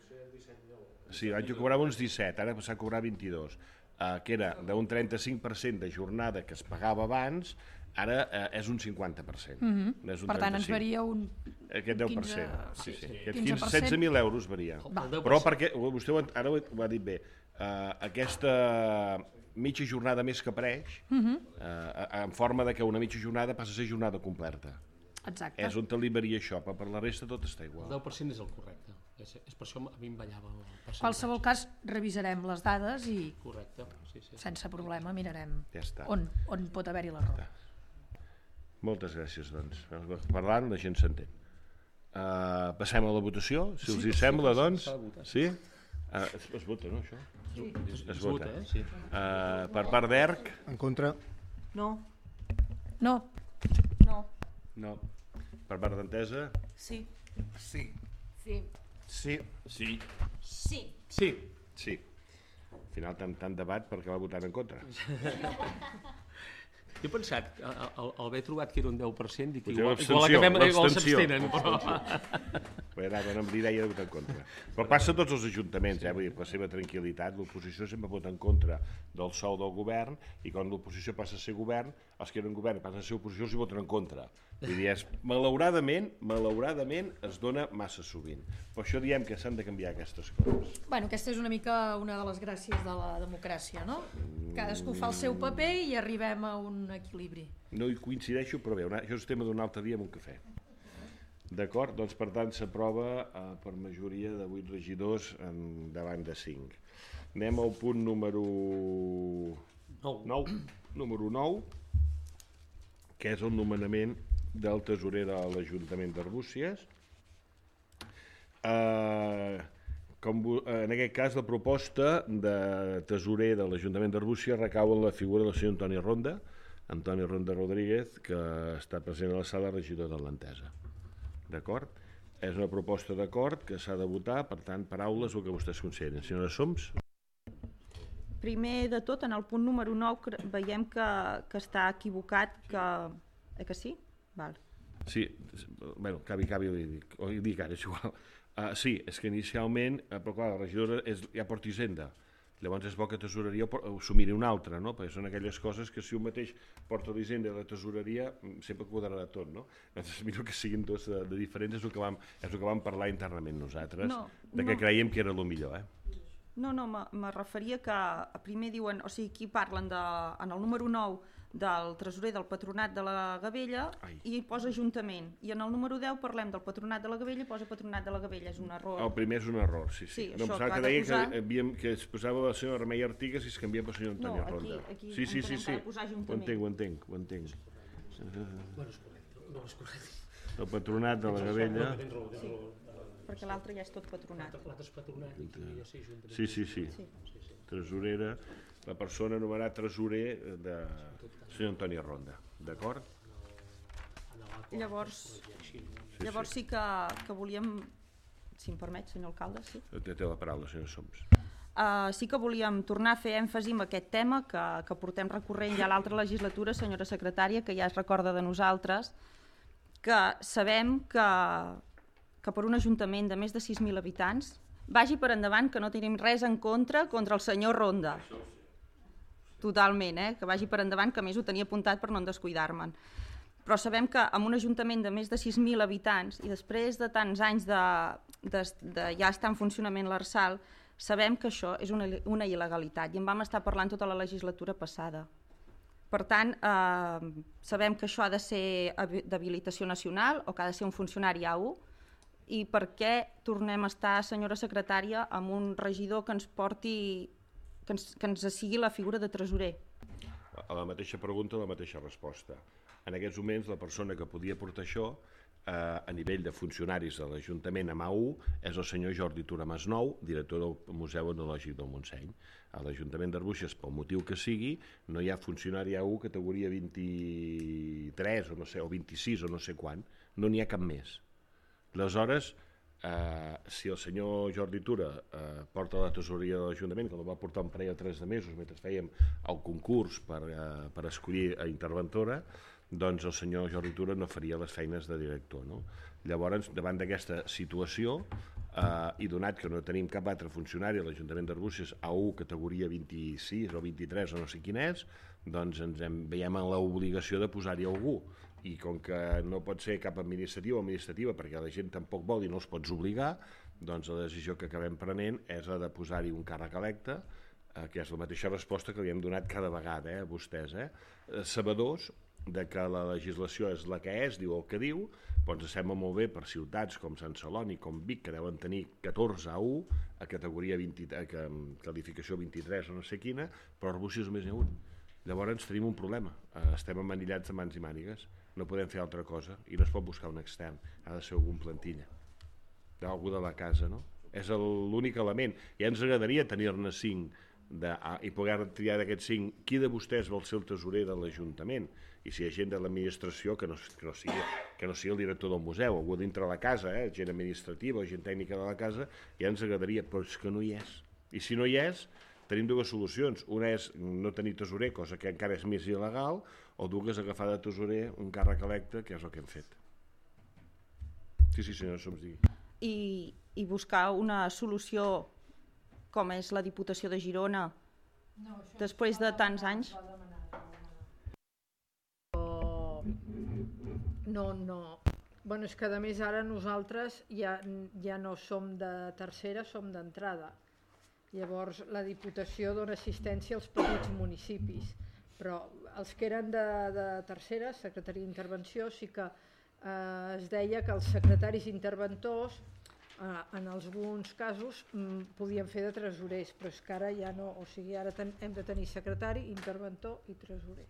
Sí, abans jo cobrava uns disset, ara passar a cobrar vint-i-dos. Uh, que era d'un trenta-cinc per cent de jornada que es pagava abans, ara uh, és un cinquanta per cent. Mhm. No és un Per tant, ens trenta-cinc. varia un... Aquest deu per cent. quinze, Sí, sí. sí, Aquest quinze per cent. setze mil euros varia. Va. Però perquè, vostè ho, ara ho, ho ha dit bé, uh, aquesta mitja jornada més que apareix, Mhm. uh, en forma de que una mitja jornada passa a ser jornada completa. Exacte. És on te li varia això, però per la resta tot està igual. El deu per cent és el correcte. És, és per això a mi em ballava el percentatge. En qualsevol cas, revisarem les dades i Correcte, sí, sí. sense problema mirarem Ja està. on, on pot haver-hi l'error. Moltes gràcies, doncs. Parlant, la gent s'entén. Uh, passem a la votació, si us hi sembla, doncs. Sí? Uh, es, es vota, no, això? Sí, es, Es vota. eh? Sí. Uh, per part d'E R C? En contra. No. No, No. No. Per part d'Entesa? Sí. Sí. Sí. Sí. Sí. Sí. Sí. Sí. Al final tant, tant debat perquè va votar en contra. Jo he pensat, al, al, al haver trobat que era un deu per cent, dic, Potser igual, l'abstenció, igual acabem, igual l'abstenció. s'abstenen. Però... Bé, anava amb l'idea de votar en contra. Però passa a tots els ajuntaments, eh? Vull dir, per la seva tranquil·litat, l'oposició sempre vota en contra del sou del govern i quan l'oposició passa a ser govern, els que eren govern i passen a ser oposició els hi voten en contra. Vull dir, és, malauradament, malauradament es dona massa sovint. Per això diem que s'han de canviar aquestes coses. bueno, aquesta és una mica una de les gràcies de la democràcia, no? Cadascú fa el seu paper i arribem a un equilibri. No hi coincideixo, però bé, una, això és tema d'un altre dia amb un cafè. D'acord? Doncs per tant s'aprova eh, per majoria de vuit regidors en, davant de cinc. Anem al punt número nou, número nou, que és el nomenament del tesorer de l'Ajuntament d'Arbúcies. Eh, com, en aquest cas la proposta de tesorer de l'Ajuntament d'Arbúcies recau en la figura del senyor Antoni Ronda, Antoni Ronda Rodríguez, que està present a la sala, regidor de l'Entesa. D'acord? És una proposta d'acord que s'ha de votar, per tant, paraules o que vostès consideren. Senyora Soms? Primer de tot, en el punt número nou veiem que, que està equivocat, que... Eh que sí? Val. Sí, bueno, cabi, cabi, ho dic, ho dic ara, és igual. Uh, sí, és que inicialment, uh, però clar, la regidora és, ja porta Hisenda, llavors és bo que tesoreria ho miri una altra, no? Perquè són aquelles coses que si un mateix porta l'Hisenda i la tesoreria sempre quadrarà tot, no? Llavors miro que siguin dos de, de diferents, és el que vam, és el que vam parlar internament nosaltres, No, de que no. creiem que era el millor, eh? No, no, me, me referia que primer diuen, o sigui, aquí parlen de, en el número nou del tresorer del Patronat de la Gavella Ai. i hi posa Ajuntament. I en el número deu parlem del Patronat de la Gavella i posa Patronat de la Gavella, és un error. El primer és un error, sí, sí. Sí, no, això em sembla que que ha de deia posar- que, havíem, que es posava la senyora Remei Artigas i es canvia pel senyor Antoni No, aquí- Ronda. aquí sí, sí, sí, entenem sí. que ha de posar Ho Ajuntament. entenc, ho entenc, ho entenc. Bueno, és correcte. No, és correcte. El Patronat de la Gavella... Tens raó, tens raó. Perquè l'altre ja és tot Patronat. L'altre és patronat i podria ser Ajuntament. Sí, sí, sí. Sí. Tresorera, la persona anomenada tresorer de senyor Antoni Ronda. D'acord? Llavors, Sí, llavors sí que, que volíem, si em permet, senyor alcalde, sí. Té, té la paraula, senyor Soms. Uh, sí que volíem tornar a fer èmfasi en aquest tema que, que portem recorrent ja a l'altra legislatura, senyora secretària, que ja es recorda de nosaltres, que sabem que, que per un ajuntament de més de sis mil habitants vagi per endavant que no tenim res en contra contra el senyor Ronda. Totalment, eh? Que vagi per endavant, que a més ho tenia apuntat per no en descuidar-me'n. Però sabem que en un ajuntament de més de sis mil habitants i després de tants anys de, de, de ja estar en funcionament l'Arsal, sabem que això és una, una il·legalitat i en vam estar parlant tota la legislatura passada. Per tant, eh, sabem que això ha de ser d'habilitació nacional o que ha de ser un funcionari A u i per què tornem a estar, senyora secretària, amb un regidor que ens porti, que ens, que ens sigui la figura de tresorer. A la mateixa pregunta, la mateixa resposta. En aquests moments, la persona que podia portar això, eh, a nivell de funcionaris de l'Ajuntament amb A u, és el senyor Jordi Tura Masnou, director del Museu Etnològic del Montseny. A l'Ajuntament d'Arbúcies, pel motiu que sigui, no hi ha funcionari A u categoria vint-i-tres o no sé, o vint-i-sis o no sé quan, no n'hi ha cap més. Aleshores, eh, si el senyor Jordi Tura eh, porta la tesoreria de l'Ajuntament, que el va portar un parell o tres de mesos mentre fèiem el concurs per, eh, per escollir a interventora, doncs el senyor Jordi Tura no faria les feines de director. No? Llavors, davant d'aquesta situació, eh, i donat que no tenim cap altre funcionari a l'Ajuntament d'Arbúcies A u categoria vint-i-sis o vint-i-tres o no sé quin és, doncs ens hem, veiem en l'obligació de posar-hi algú. I com que no pot ser cap administrativa o administrativa perquè la gent tampoc vol i no els pots obligar, doncs la decisió que acabem prenent és la de posar-hi un càrrec electe, eh, que és la mateixa resposta que li hem donat cada vegada eh, a vostès. Eh? Sabedors de que la legislació és la que és, diu el que diu, però ens sembla molt bé per ciutats com Sant Celoni, com Vic, que deuen tenir catorze A u a categoria vint, a qualificació vint-i-tres o no sé quina, però Arbúcies només n'hi ha un. Llavors tenim un problema, estem emmanillats de mans i mànigues, no podem fer altra cosa i no es pot buscar un extern, ha de ser algun plantilla, d'algú de la casa, no? És l'únic element. Ja ens agradaria tenir-ne cinc de, i poder triar d'aquests cinc qui de vostès vol ser el tesorer de l'Ajuntament i si hi ha gent de l'administració que, no, que, no sigui, que no sigui el director del museu, algú dintre la casa, eh, gent administrativa o gent tècnica de la casa, ja ens agradaria, però és que no hi és. I si no hi és, tenim dues solucions. Una és no tenir tesorer, cosa que encara és més il·legal, o dues agafar de tesorer un càrrec electe, que és el que hem fet. Sí, sí, senyora, soms digui. I, I buscar una solució com és la Diputació de Girona no, després de tants anys. No, no. Bueno, és que a més ara nosaltres ja, ja no som de tercera, som d'entrada. Llavors la Diputació dona assistència als petits municipis, però els que eren de, de tercera, secretaria d'intervenció, sí que eh, es deia que els secretaris interventors eh, en alguns casos mm, podien fer de tresorers, però és que ara ja no, o sigui, ara ten, hem de tenir secretari, interventor i tresorer.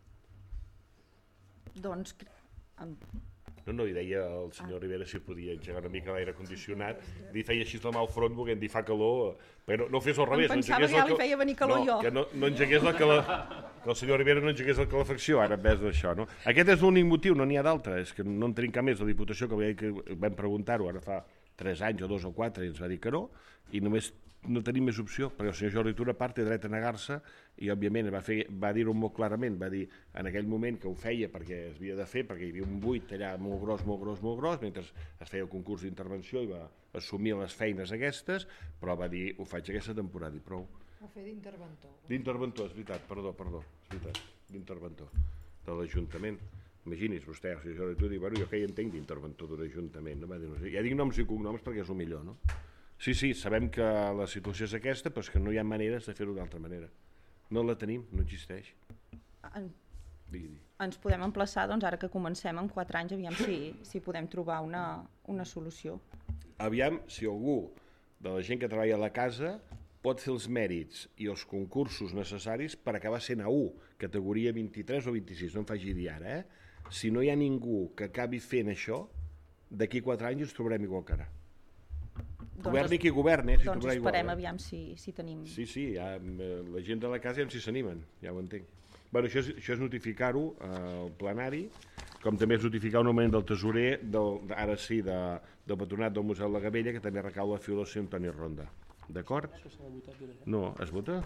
Doncs... Amb... No, no, i deia el senyor ah. Rivera si podia engegar una mica l'aire condicionat, li feia així la mà al front volent dir fa calor, però no fes al revés. Em pensava no que ja li feia venir calor no, jo. Que no, no engegués la cala... que el senyor Rivera no engegués la calefacció, ara en vez d'això, no? Aquest és l'únic motiu, no n'hi ha d'altre, és que no en tenim cap més. La Diputació, que, que vam preguntar-ho ara fa tres anys o dos o quatre, i ens va dir que no, i només no tenim més opció, perquè el senyor Jordi Tura part té dret a negar-se i òbviament va, fer, va dir-ho molt clarament, va dir en aquell moment que ho feia perquè es havia de fer, perquè hi havia un buit allà molt gros, molt gros, molt gros, mentre es feia el concurs d'intervenció i va assumir les feines aquestes, però va dir, ho faig aquesta temporada i prou. Va fer d'interventor. D'interventor, és veritat, perdó, perdó, és veritat, d'interventor de l'Ajuntament. Imagini's vostè, el senyor Jordi Tura, diu, bueno, jo que hi entenc d'interventor d'un ajuntament, no? Va dir, no sé, ja dic noms i cognoms perquè és el millor, no? Sí, sí, sabem que la situació és aquesta, però és que no hi ha maneres de fer-ho d'altra manera. No la tenim, no existeix. En, Digui, digui. ens podem emplaçar, doncs, ara que comencem en quatre anys, aviam si, si podem trobar una, una solució. Aviam si algú de la gent que treballa a la casa pot fer els mèrits i els concursos necessaris per acabar sent A u, categoria vint-i-tres o vint-i-sis, no em faci dir ara, eh? Si no hi ha ningú que acabi fent això, d'aquí quatre anys ens trobarem igual que ara. Governi qui governi, s'hi Doncs trobarà igual. esperem Eh? aviam si, si tenim... Sí, sí, ja, eh, la gent de la casa ja si s'animen, ja ho entenc. Bueno, això és, això és notificar-ho al plenari, com també és notificar un augment del tesorer, del, ara sí, de, del patronat del Museu de la Gavella, que també recau la figura del senyor Antoni Ronda. D'acord? No, es vota?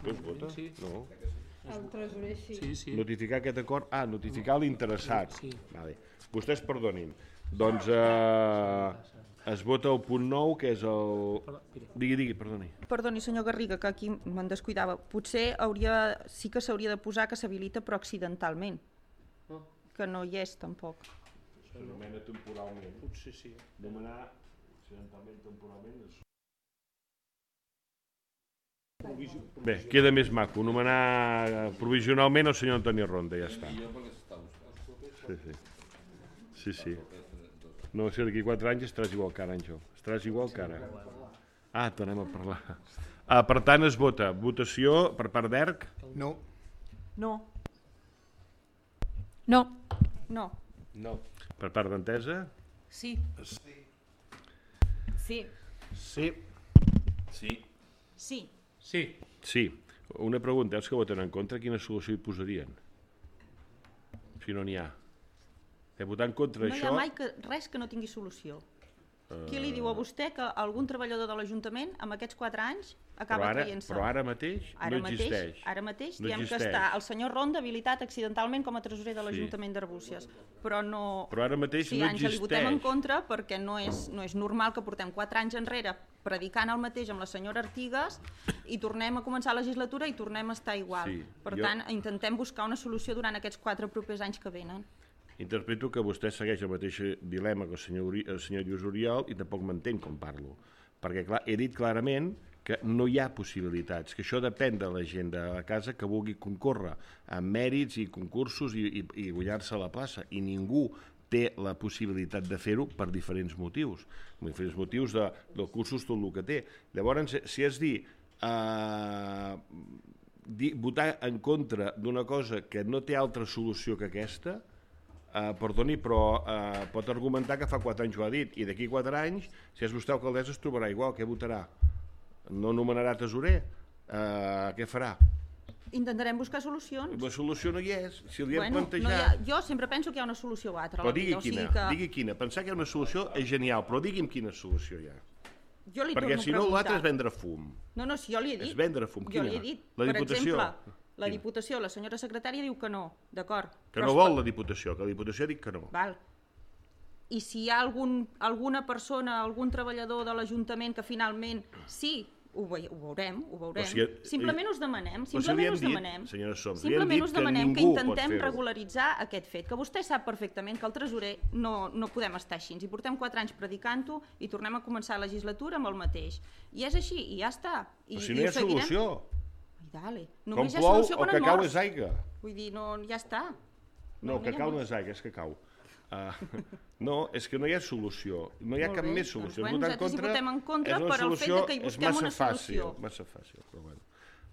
No es vota? Sí. No. El tresorer sí. Sí, sí. Notificar aquest acord? Ah, notificar l'interessat. Sí. Vale. Vostès perdonin. Doncs eh, es vota el punt nou, que és el... Digui, digui, perdoni. Perdoni, senyor Garriga, que aquí me'n descuidava. Potser hauria, sí que s'hauria de posar que s'habilita però accidentalment, No, que no hi és tampoc. S'anomena temporalment. potser sí. Demanar accidentalment, temporalment... És... Bé, queda més maco. Nomenar provisionalment el senyor Antoni Ronda, ja està. Sí, sí. Sí, sí. No, si d'aquí quatre anys estaràs igual que ara, Àngel. Estaràs igual que ara. Ah, tornem a parlar. Ah, per tant, es vota. Votació per part d'Erc? No. No. No. No. No. Per part d'Entesa? Sí. Sí. Sí. Sí. Sí. Sí. Sí. Una pregunta, els que voten en contra, quina solució hi posarien? Si no n'hi ha. De votar en contra No hi això... ha mai que, res que no tingui solució. Qui li diu a vostè que algun treballador de l'Ajuntament amb aquests quatre anys acaba Però ara, traient-se? però ara mateix Ara no mateix, existeix. ara mateix No diem existeix. que està el senyor Ronda habilitat accidentalment com a tresorer de l'Ajuntament d'Arbúcies, però no... Però ara mateix sí, no Àngel, hi votem en existeix. contra perquè no és, no és normal que portem quatre anys enrere predicant el mateix amb la senyora Artigas i tornem a començar la legislatura i tornem a estar igual. Sí, per jo- tant, intentem buscar una solució durant aquests quatre propers anys que venen. Interpreto que vostè segueix el mateix dilema que el senyor, Uri, el senyor Lluís Oriol i tampoc m'entén com parlo. Perquè clar, he dit clarament que no hi ha possibilitats, que això depèn de la gent de la casa que vulgui concórrer amb mèrits i concursos i, i, i guanyar-se a la plaça, i ningú té la possibilitat de fer-ho per diferents motius, per diferents motius de, de cursos, tot el que té. Llavors, si és dir, eh, dir votar en contra d'una cosa que no té altra solució que aquesta, Uh, perdoni, però uh, pot argumentar que fa quatre anys ho ha dit, i d'aquí quatre anys, si és vostè alcaldessa, es trobarà igual. Què votarà? No nomenarà tesorer? Uh, què farà? Intentarem buscar solucions. La solució no hi és. Si li hem Bueno, no hi ha, plantejat... jo sempre penso que hi ha una solució o altra. a Però la digui vida, o quina, sigui que... digui quina. Pensar que hi ha una solució és genial, però digui'm quina solució hi ha. Jo li Perquè torno si a no, preguntar. l'altre és vendre fum. No, no, si jo li he dit. És vendre fum. Jo Quina? li he dit. La Per Diputació? exemple, la Quina? Diputació, la senyora secretària diu que no, d'acord. Que Però no es vol pot- la Diputació, que la Diputació ha dit que no. Val. I si hi ha algun, alguna persona, algun treballador de l'Ajuntament que finalment sí, ho, ve, ho veurem, ho veurem. Però si- simplement us demanem, Però si li simplement hem us dit, demanem. senyora Soms, li hem simplement dit us que demanem que, ningú pot intentem fer-ho. regularitzar aquest fet, que vostè sap perfectament que el tresorer no, no podem estar així. I portem quatre anys predicant-ho i tornem a començar la legislatura amb el mateix. I és així, i ja està. I, Però si i no hi ho ha seguirem. solució. Ai, dale. Com Només hi ha plou, solució el quan que et cau mors. és aigua. Vull dir, no, ja està. No, No, que no hi ha cau no molt. és aigua, és que cau. Uh, no, és que no hi ha solució, no hi ha Molt cap bé, més doncs, solució. bueno, Votar en nosaltres hi contra votem en contra és una per al fet solució, de que hi és busquem massa una fàcil, solució. massa fàcil, però bueno.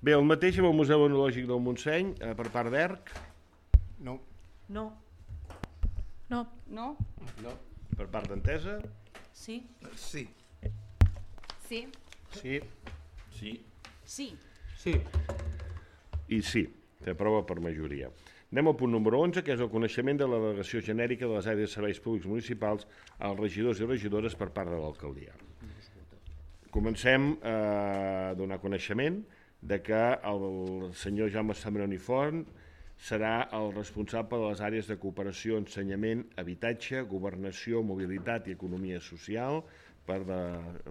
Bé, el mateix amb el Museu Etnològic del Montseny, eh, per part d'Erc, No. No. No. No? no. Per part d'Entesa, Sí. Sí. Sí. sí, Sí. Sí. Sí. i sí, s'aprova per majoria. Anem al punt número onze, que és el coneixement de la delegació genèrica de les àrees de serveis públics municipals als regidors i regidores per part de l'alcaldia. Comencem eh, a donar coneixement de que el senyor Jaume Sambroni Font serà el responsable de les àrees de cooperació, ensenyament, habitatge, governació, mobilitat i economia social per de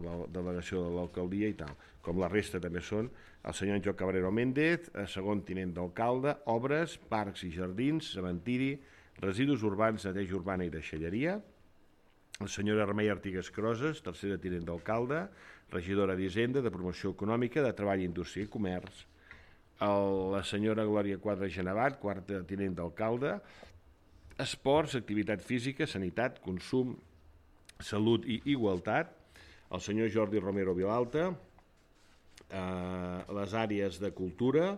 la delegació de l'alcaldia i tal. Com la resta també són el senyor Joan Cabrero Méndez, segon tinent d'alcalde, obres, parcs i jardins, cementiri, residus urbans, neteja urbana i deixalleria, la senyora Remei Artigas Croses, tercera tinent d'alcalde, regidora d'Hisenda, de Promoció Econòmica, de Treball, Indústria i Comerç, el, la senyora Glòria Quadra Genevat, quarta tinent d'alcalde, Esports, Activitat Física, Sanitat, Consum, Salut i Igualtat, el senyor Jordi Romero Vilalta, eh, les àrees de Cultura,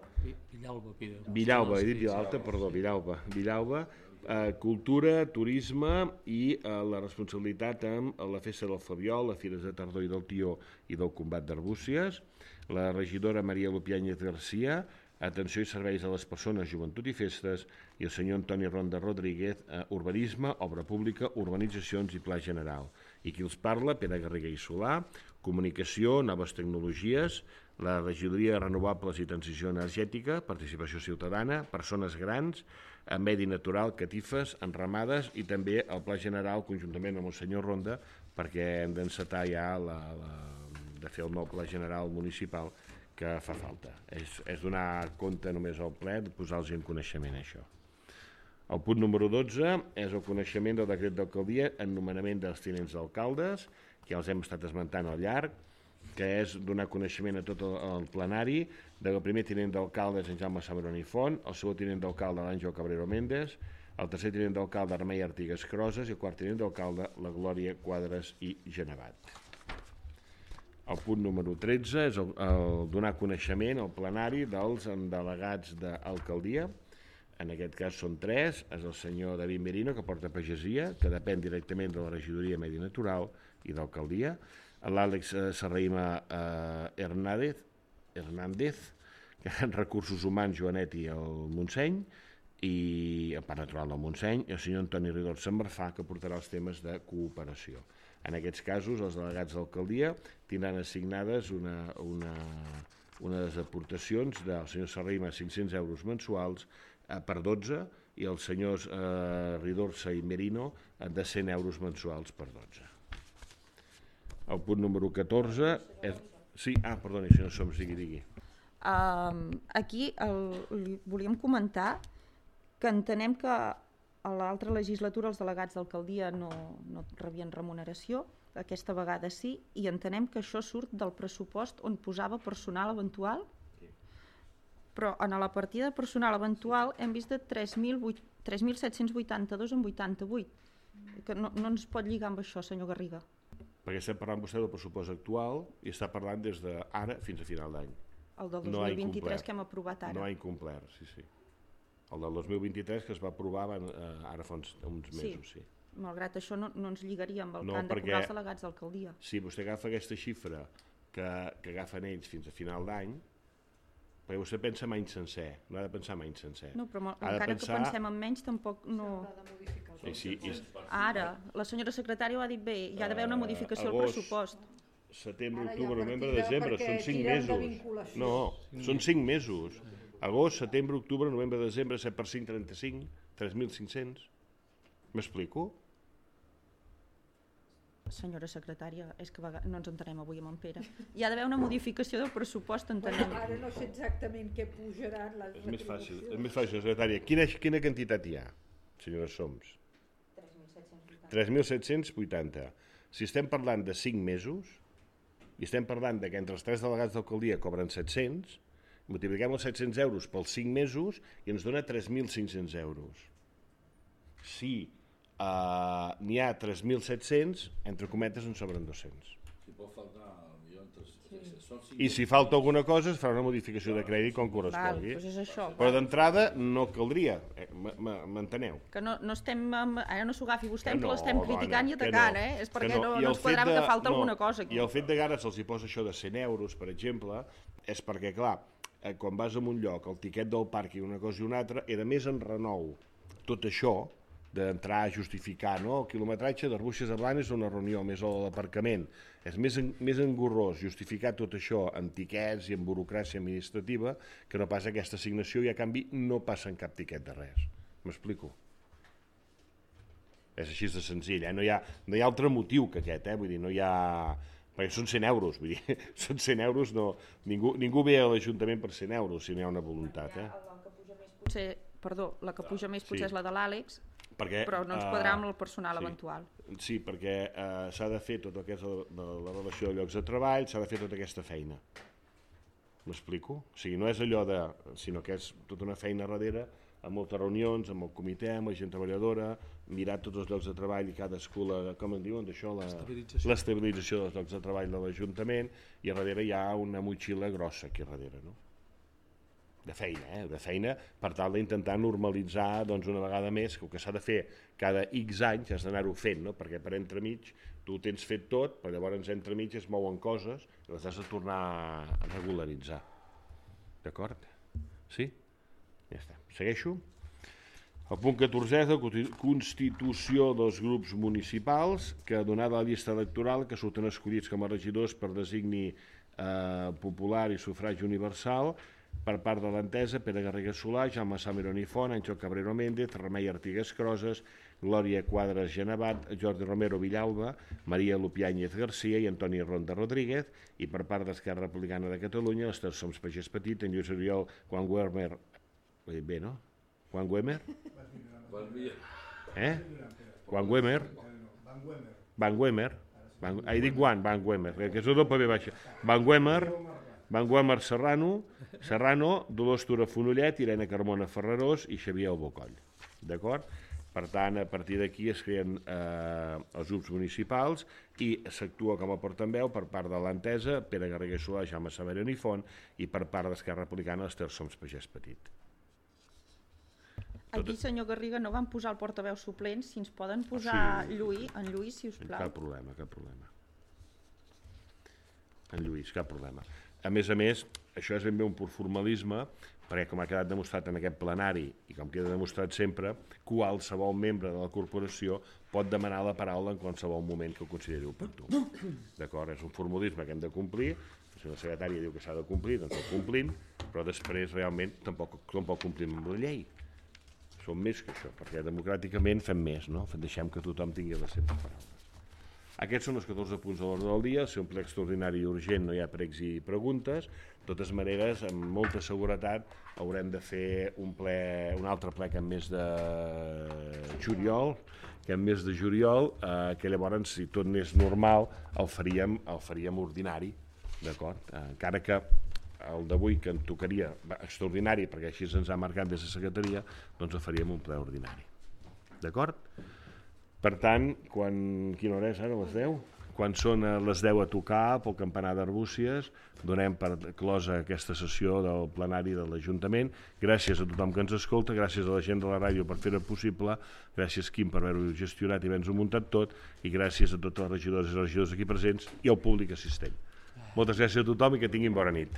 Villalba, Pere. Villalba, he dit Vilalta, perdó, Villalba, Villalba, eh, Cultura, Turisme i eh, la responsabilitat amb la Festa del Flabiol, les Fires de Tardor i del Tió i del Combat d'Arbúcies, la regidora Maria Lupiáñez García, Atenció i Serveis a les Persones, Joventut i Festes, i el senyor Antoni Ronda Rodríguez, eh, Urbanisme, Obra Pública, Urbanitzacions i Pla General. I qui els parla, Pere Garriga i Solà, Comunicació, Noves Tecnologies, la Regidoria de Renovables i Transició Energètica, Participació Ciutadana, Persones Grans, Medi Natural, Catifes, Enramades i també el Pla General conjuntament amb el senyor Ronda perquè hem d'encetar ja la, la, de fer el nou Pla General municipal que fa falta. És, és donar compte només al ple de posar-los en coneixement això. El punt número dotze és el coneixement del decret d'alcaldia en nomenament dels tinents d'alcaldes, que els hem estat esmentant al llarg, que és donar coneixement a tot el, el plenari del primer tinent d'alcalde és en Jaume Samaroni Font, el segon tinent d'alcalde l'Àngel Cabrero Méndez, el tercer tinent d'alcalde Remei Artigas Croses i el quart tinent d'alcalde la Glòria Quadres i Genevat. El punt número tretze és el, el donar coneixement al plenari dels delegats d'alcaldia. En aquest cas són tres, és el senyor David Merino, que porta pagesia, que depèn directament de la regidoria Medi Natural i d'alcaldia, l'Àlex Serraïma eh, Hernández, Hernández, que en Recursos Humans, Joanet i el Montseny, i el Parc Natural del Montseny, i el senyor Antoni Ridor Sant Marfà, que portarà els temes de cooperació. En aquests casos, els delegats d'alcaldia tindran assignades una, una, unes aportacions del senyor Serraïma cinc-cents euros mensuals eh, per dotze i els senyors eh, Ridorsa i Merino eh, de cent euros mensuals per dotze. El punt número catorze és... Sí, ah, perdoni, senyor Soms, digui, digui. Uh, aquí el, li volíem comentar que entenem que a l'altra legislatura els delegats d'alcaldia no, no rebien remuneració, aquesta vegada sí, i entenem que això surt del pressupost on posava personal eventual, però en la partida de personal eventual hem vist de tres mil set-cents vuitanta-dos en vuitanta-vuit, que no, no ens pot lligar amb això, senyor Garriga. Perquè estem parlant vostè del pressupost actual i està parlant des d'ara fins a final d'any. El del dos mil vint-i-tres que hem aprovat ara. No ha incomplert, sí, sí. El del dos mil vint-i-tres que es va aprovar van, eh, ara fa uns, uns mesos, sí. sí. Malgrat això no, no ens lligaria amb el no, que han de perquè, cobrar els delegats d'alcaldia. Si vostè agafa aquesta xifra que, que agafen ells fins a final d'any, perquè vostè pensa en any sencer, no ha de pensar en any sencer. No, però encara pensar... que pensem en menys tampoc no... Sí, sí, i... Ara, la senyora secretària ho ha dit bé, hi ha d'haver una modificació al pressupost. Setembre, octubre, novembre, desembre, són cinc mesos. No, són cinc mesos. Agost, setembre, octubre, novembre, desembre, set per cinc, trenta-cinc, tres mil cinc-cents. M'explico? Senyora secretària, és que no ens entenem avui amb en Pere. Hi ha d'haver una modificació del pressupost, entenem. Bueno, ara no sé exactament què pujaran les retribucions. És més fàcil, és més fàcil, secretària. Quina, quina quantitat hi ha, senyora Soms? tres mil set-cents vuitanta. Si estem parlant de cinc mesos, i estem parlant de que entre els tres delegats d'alcaldia cobren set-cents, multipliquem els set-cents euros pels cinc mesos i ens dona tres mil cinc-cents euros. Si uh, n'hi ha tres mil set-cents, entre cometes en sobren dos-cents. Si pot faltar, jo entre... Sí. I si falta alguna cosa es farà una modificació de crèdit com correspongui. Val, doncs és això. Però d'entrada no caldria, eh, m'enteneu? Que no, no estem, ara no s'ho agafi vostè, que, no, no, l'estem criticant dona, i atacant, no, eh? És perquè no, no, no ens quadrava que falta no, alguna cosa aquí. I el fet de que ara se'ls hi posa això de cent euros, per exemple, és perquè, clar, eh, quan vas a un lloc, el tiquet del parc i una cosa i una altra, era més en renou tot això, d'entrar a justificar, no? El quilometratge d'Arbúcies a Blanes és una reunió, més l'aparcament. És més, en, més engorrós justificar tot això en tiquets i en burocràcia administrativa que no pas aquesta assignació i a canvi no passa en cap tiquet de res. M'explico? És així de senzill, eh? No hi ha, no hi ha altre motiu que aquest, eh? Vull dir, no hi ha... Perquè són cent euros, vull dir, són cent euros, no... Ningú, ningú ve a l'Ajuntament per cent euros si no hi ha una voluntat, eh? La que puja més potser, perdó, la que puja més potser sí. És la de l'Àlex, perquè, però no ens quadrarà amb el personal sí, eventual. Sí, perquè uh, s'ha de fer tot el que és la, de la relació de llocs de treball, s'ha de fer tota aquesta feina. M'explico? O sigui, no és allò de... sinó que és tota una feina darrere, amb moltes reunions, amb el comitè, amb la gent treballadora, mirar tots els llocs de treball i cadascú, la, com en diuen d'això, l'estabilització dels llocs de treball de l'Ajuntament, i a darrere hi ha una motxilla grossa aquí a darrere, no? De feina, eh? De feina, per tal d'intentar normalitzar doncs, una vegada més, que el que s'ha de fer cada X anys has d'anar-ho fent, no? Perquè per entremig tu ho tens fet tot, però llavors entremig es mouen coses i les has de tornar a regularitzar. D'acord? Sí? Ja està. Segueixo? El punt catorzè és la constitució dels grups municipals, que donada la llista electoral que surten escollits com a regidors per designi eh, popular i sufragi universal, per part de l'entesa, Pere Garriga Solà, Jaume Salmerón i Font, Àngel Cabrero Méndez, Remei Artigues Croses, Glòria Quadres Genevat, Jordi Romero Villalba, Maria Lupiáñez Garcia i Antoni Ronda Rodríguez, i per part d'Esquerra Republicana de Catalunya, els Terç Soms Pagès Petit, en Lluís Oriol, Juan Guermer, bé, no? Juan Guemer? Eh? Juan Guemer? Van Guemer? He dit Juan, Van Guemer, que és el doble B baixa. Van Guemer, Van Guemer Serrano, Serrano, Dolors Tura Fonollet, Irene Carmona Ferrarós i Xavier Albocoll. D'acord? Per tant, a partir d'aquí es creen eh, els grups municipals i s'actua com a portaveu per part de l'entesa, Pere Garriga Solà, Jaume Salmerón i Font, i per part d'Esquerra Republicana, els Terç Soms Pagès Petit. Aquí, senyor Garriga, no van posar el portaveu suplent, si ens poden posar sí. Lluís, en Lluís, si us plau. Cap problema, cap problema. En Lluís, cap problema. A més a més, això és ben bé un pur formalisme, perquè com ha quedat demostrat en aquest plenari, i com queda demostrat sempre, qualsevol membre de la corporació pot demanar la paraula en qualsevol moment que ho consideri oportú. D'acord? És un formalisme que hem de complir, si la secretària diu que s'ha de complir, doncs el complim, però després realment tampoc, tampoc complim amb la llei. Som més que això, perquè democràticament fem més, no? Deixem que tothom tingui les seves paraules. Aquests són els catorze punts de l'ordre del dia. Si un ple extraordinari i urgent no hi ha pregs i preguntes. De totes maneres, amb molta seguretat, haurem de fer un, ple, un altre ple que en mes de juliol, que en mes de juliol, eh, que llavors, si tot n'és normal, el faríem, el faríem ordinari, d'acord? Eh, encara que el d'avui, que en tocaria extraordinari, perquè així ens ha marcat des de secretaria, doncs el faríem un ple ordinari. D'acord? Per tant, quan, quina hora és ara, les deu? Quan són les deu a tocar pel campanar d'Arbúcies, donem per closa aquesta sessió del plenari de l'Ajuntament. Gràcies a tothom que ens escolta, gràcies a la gent de la ràdio per fer-ho possible, gràcies, Quim, per haver-ho gestionat i haver-nos-ho muntat tot, i gràcies a tots els regidors i regidors aquí presents i al públic assistent. Moltes gràcies a tothom i que tinguin bona nit.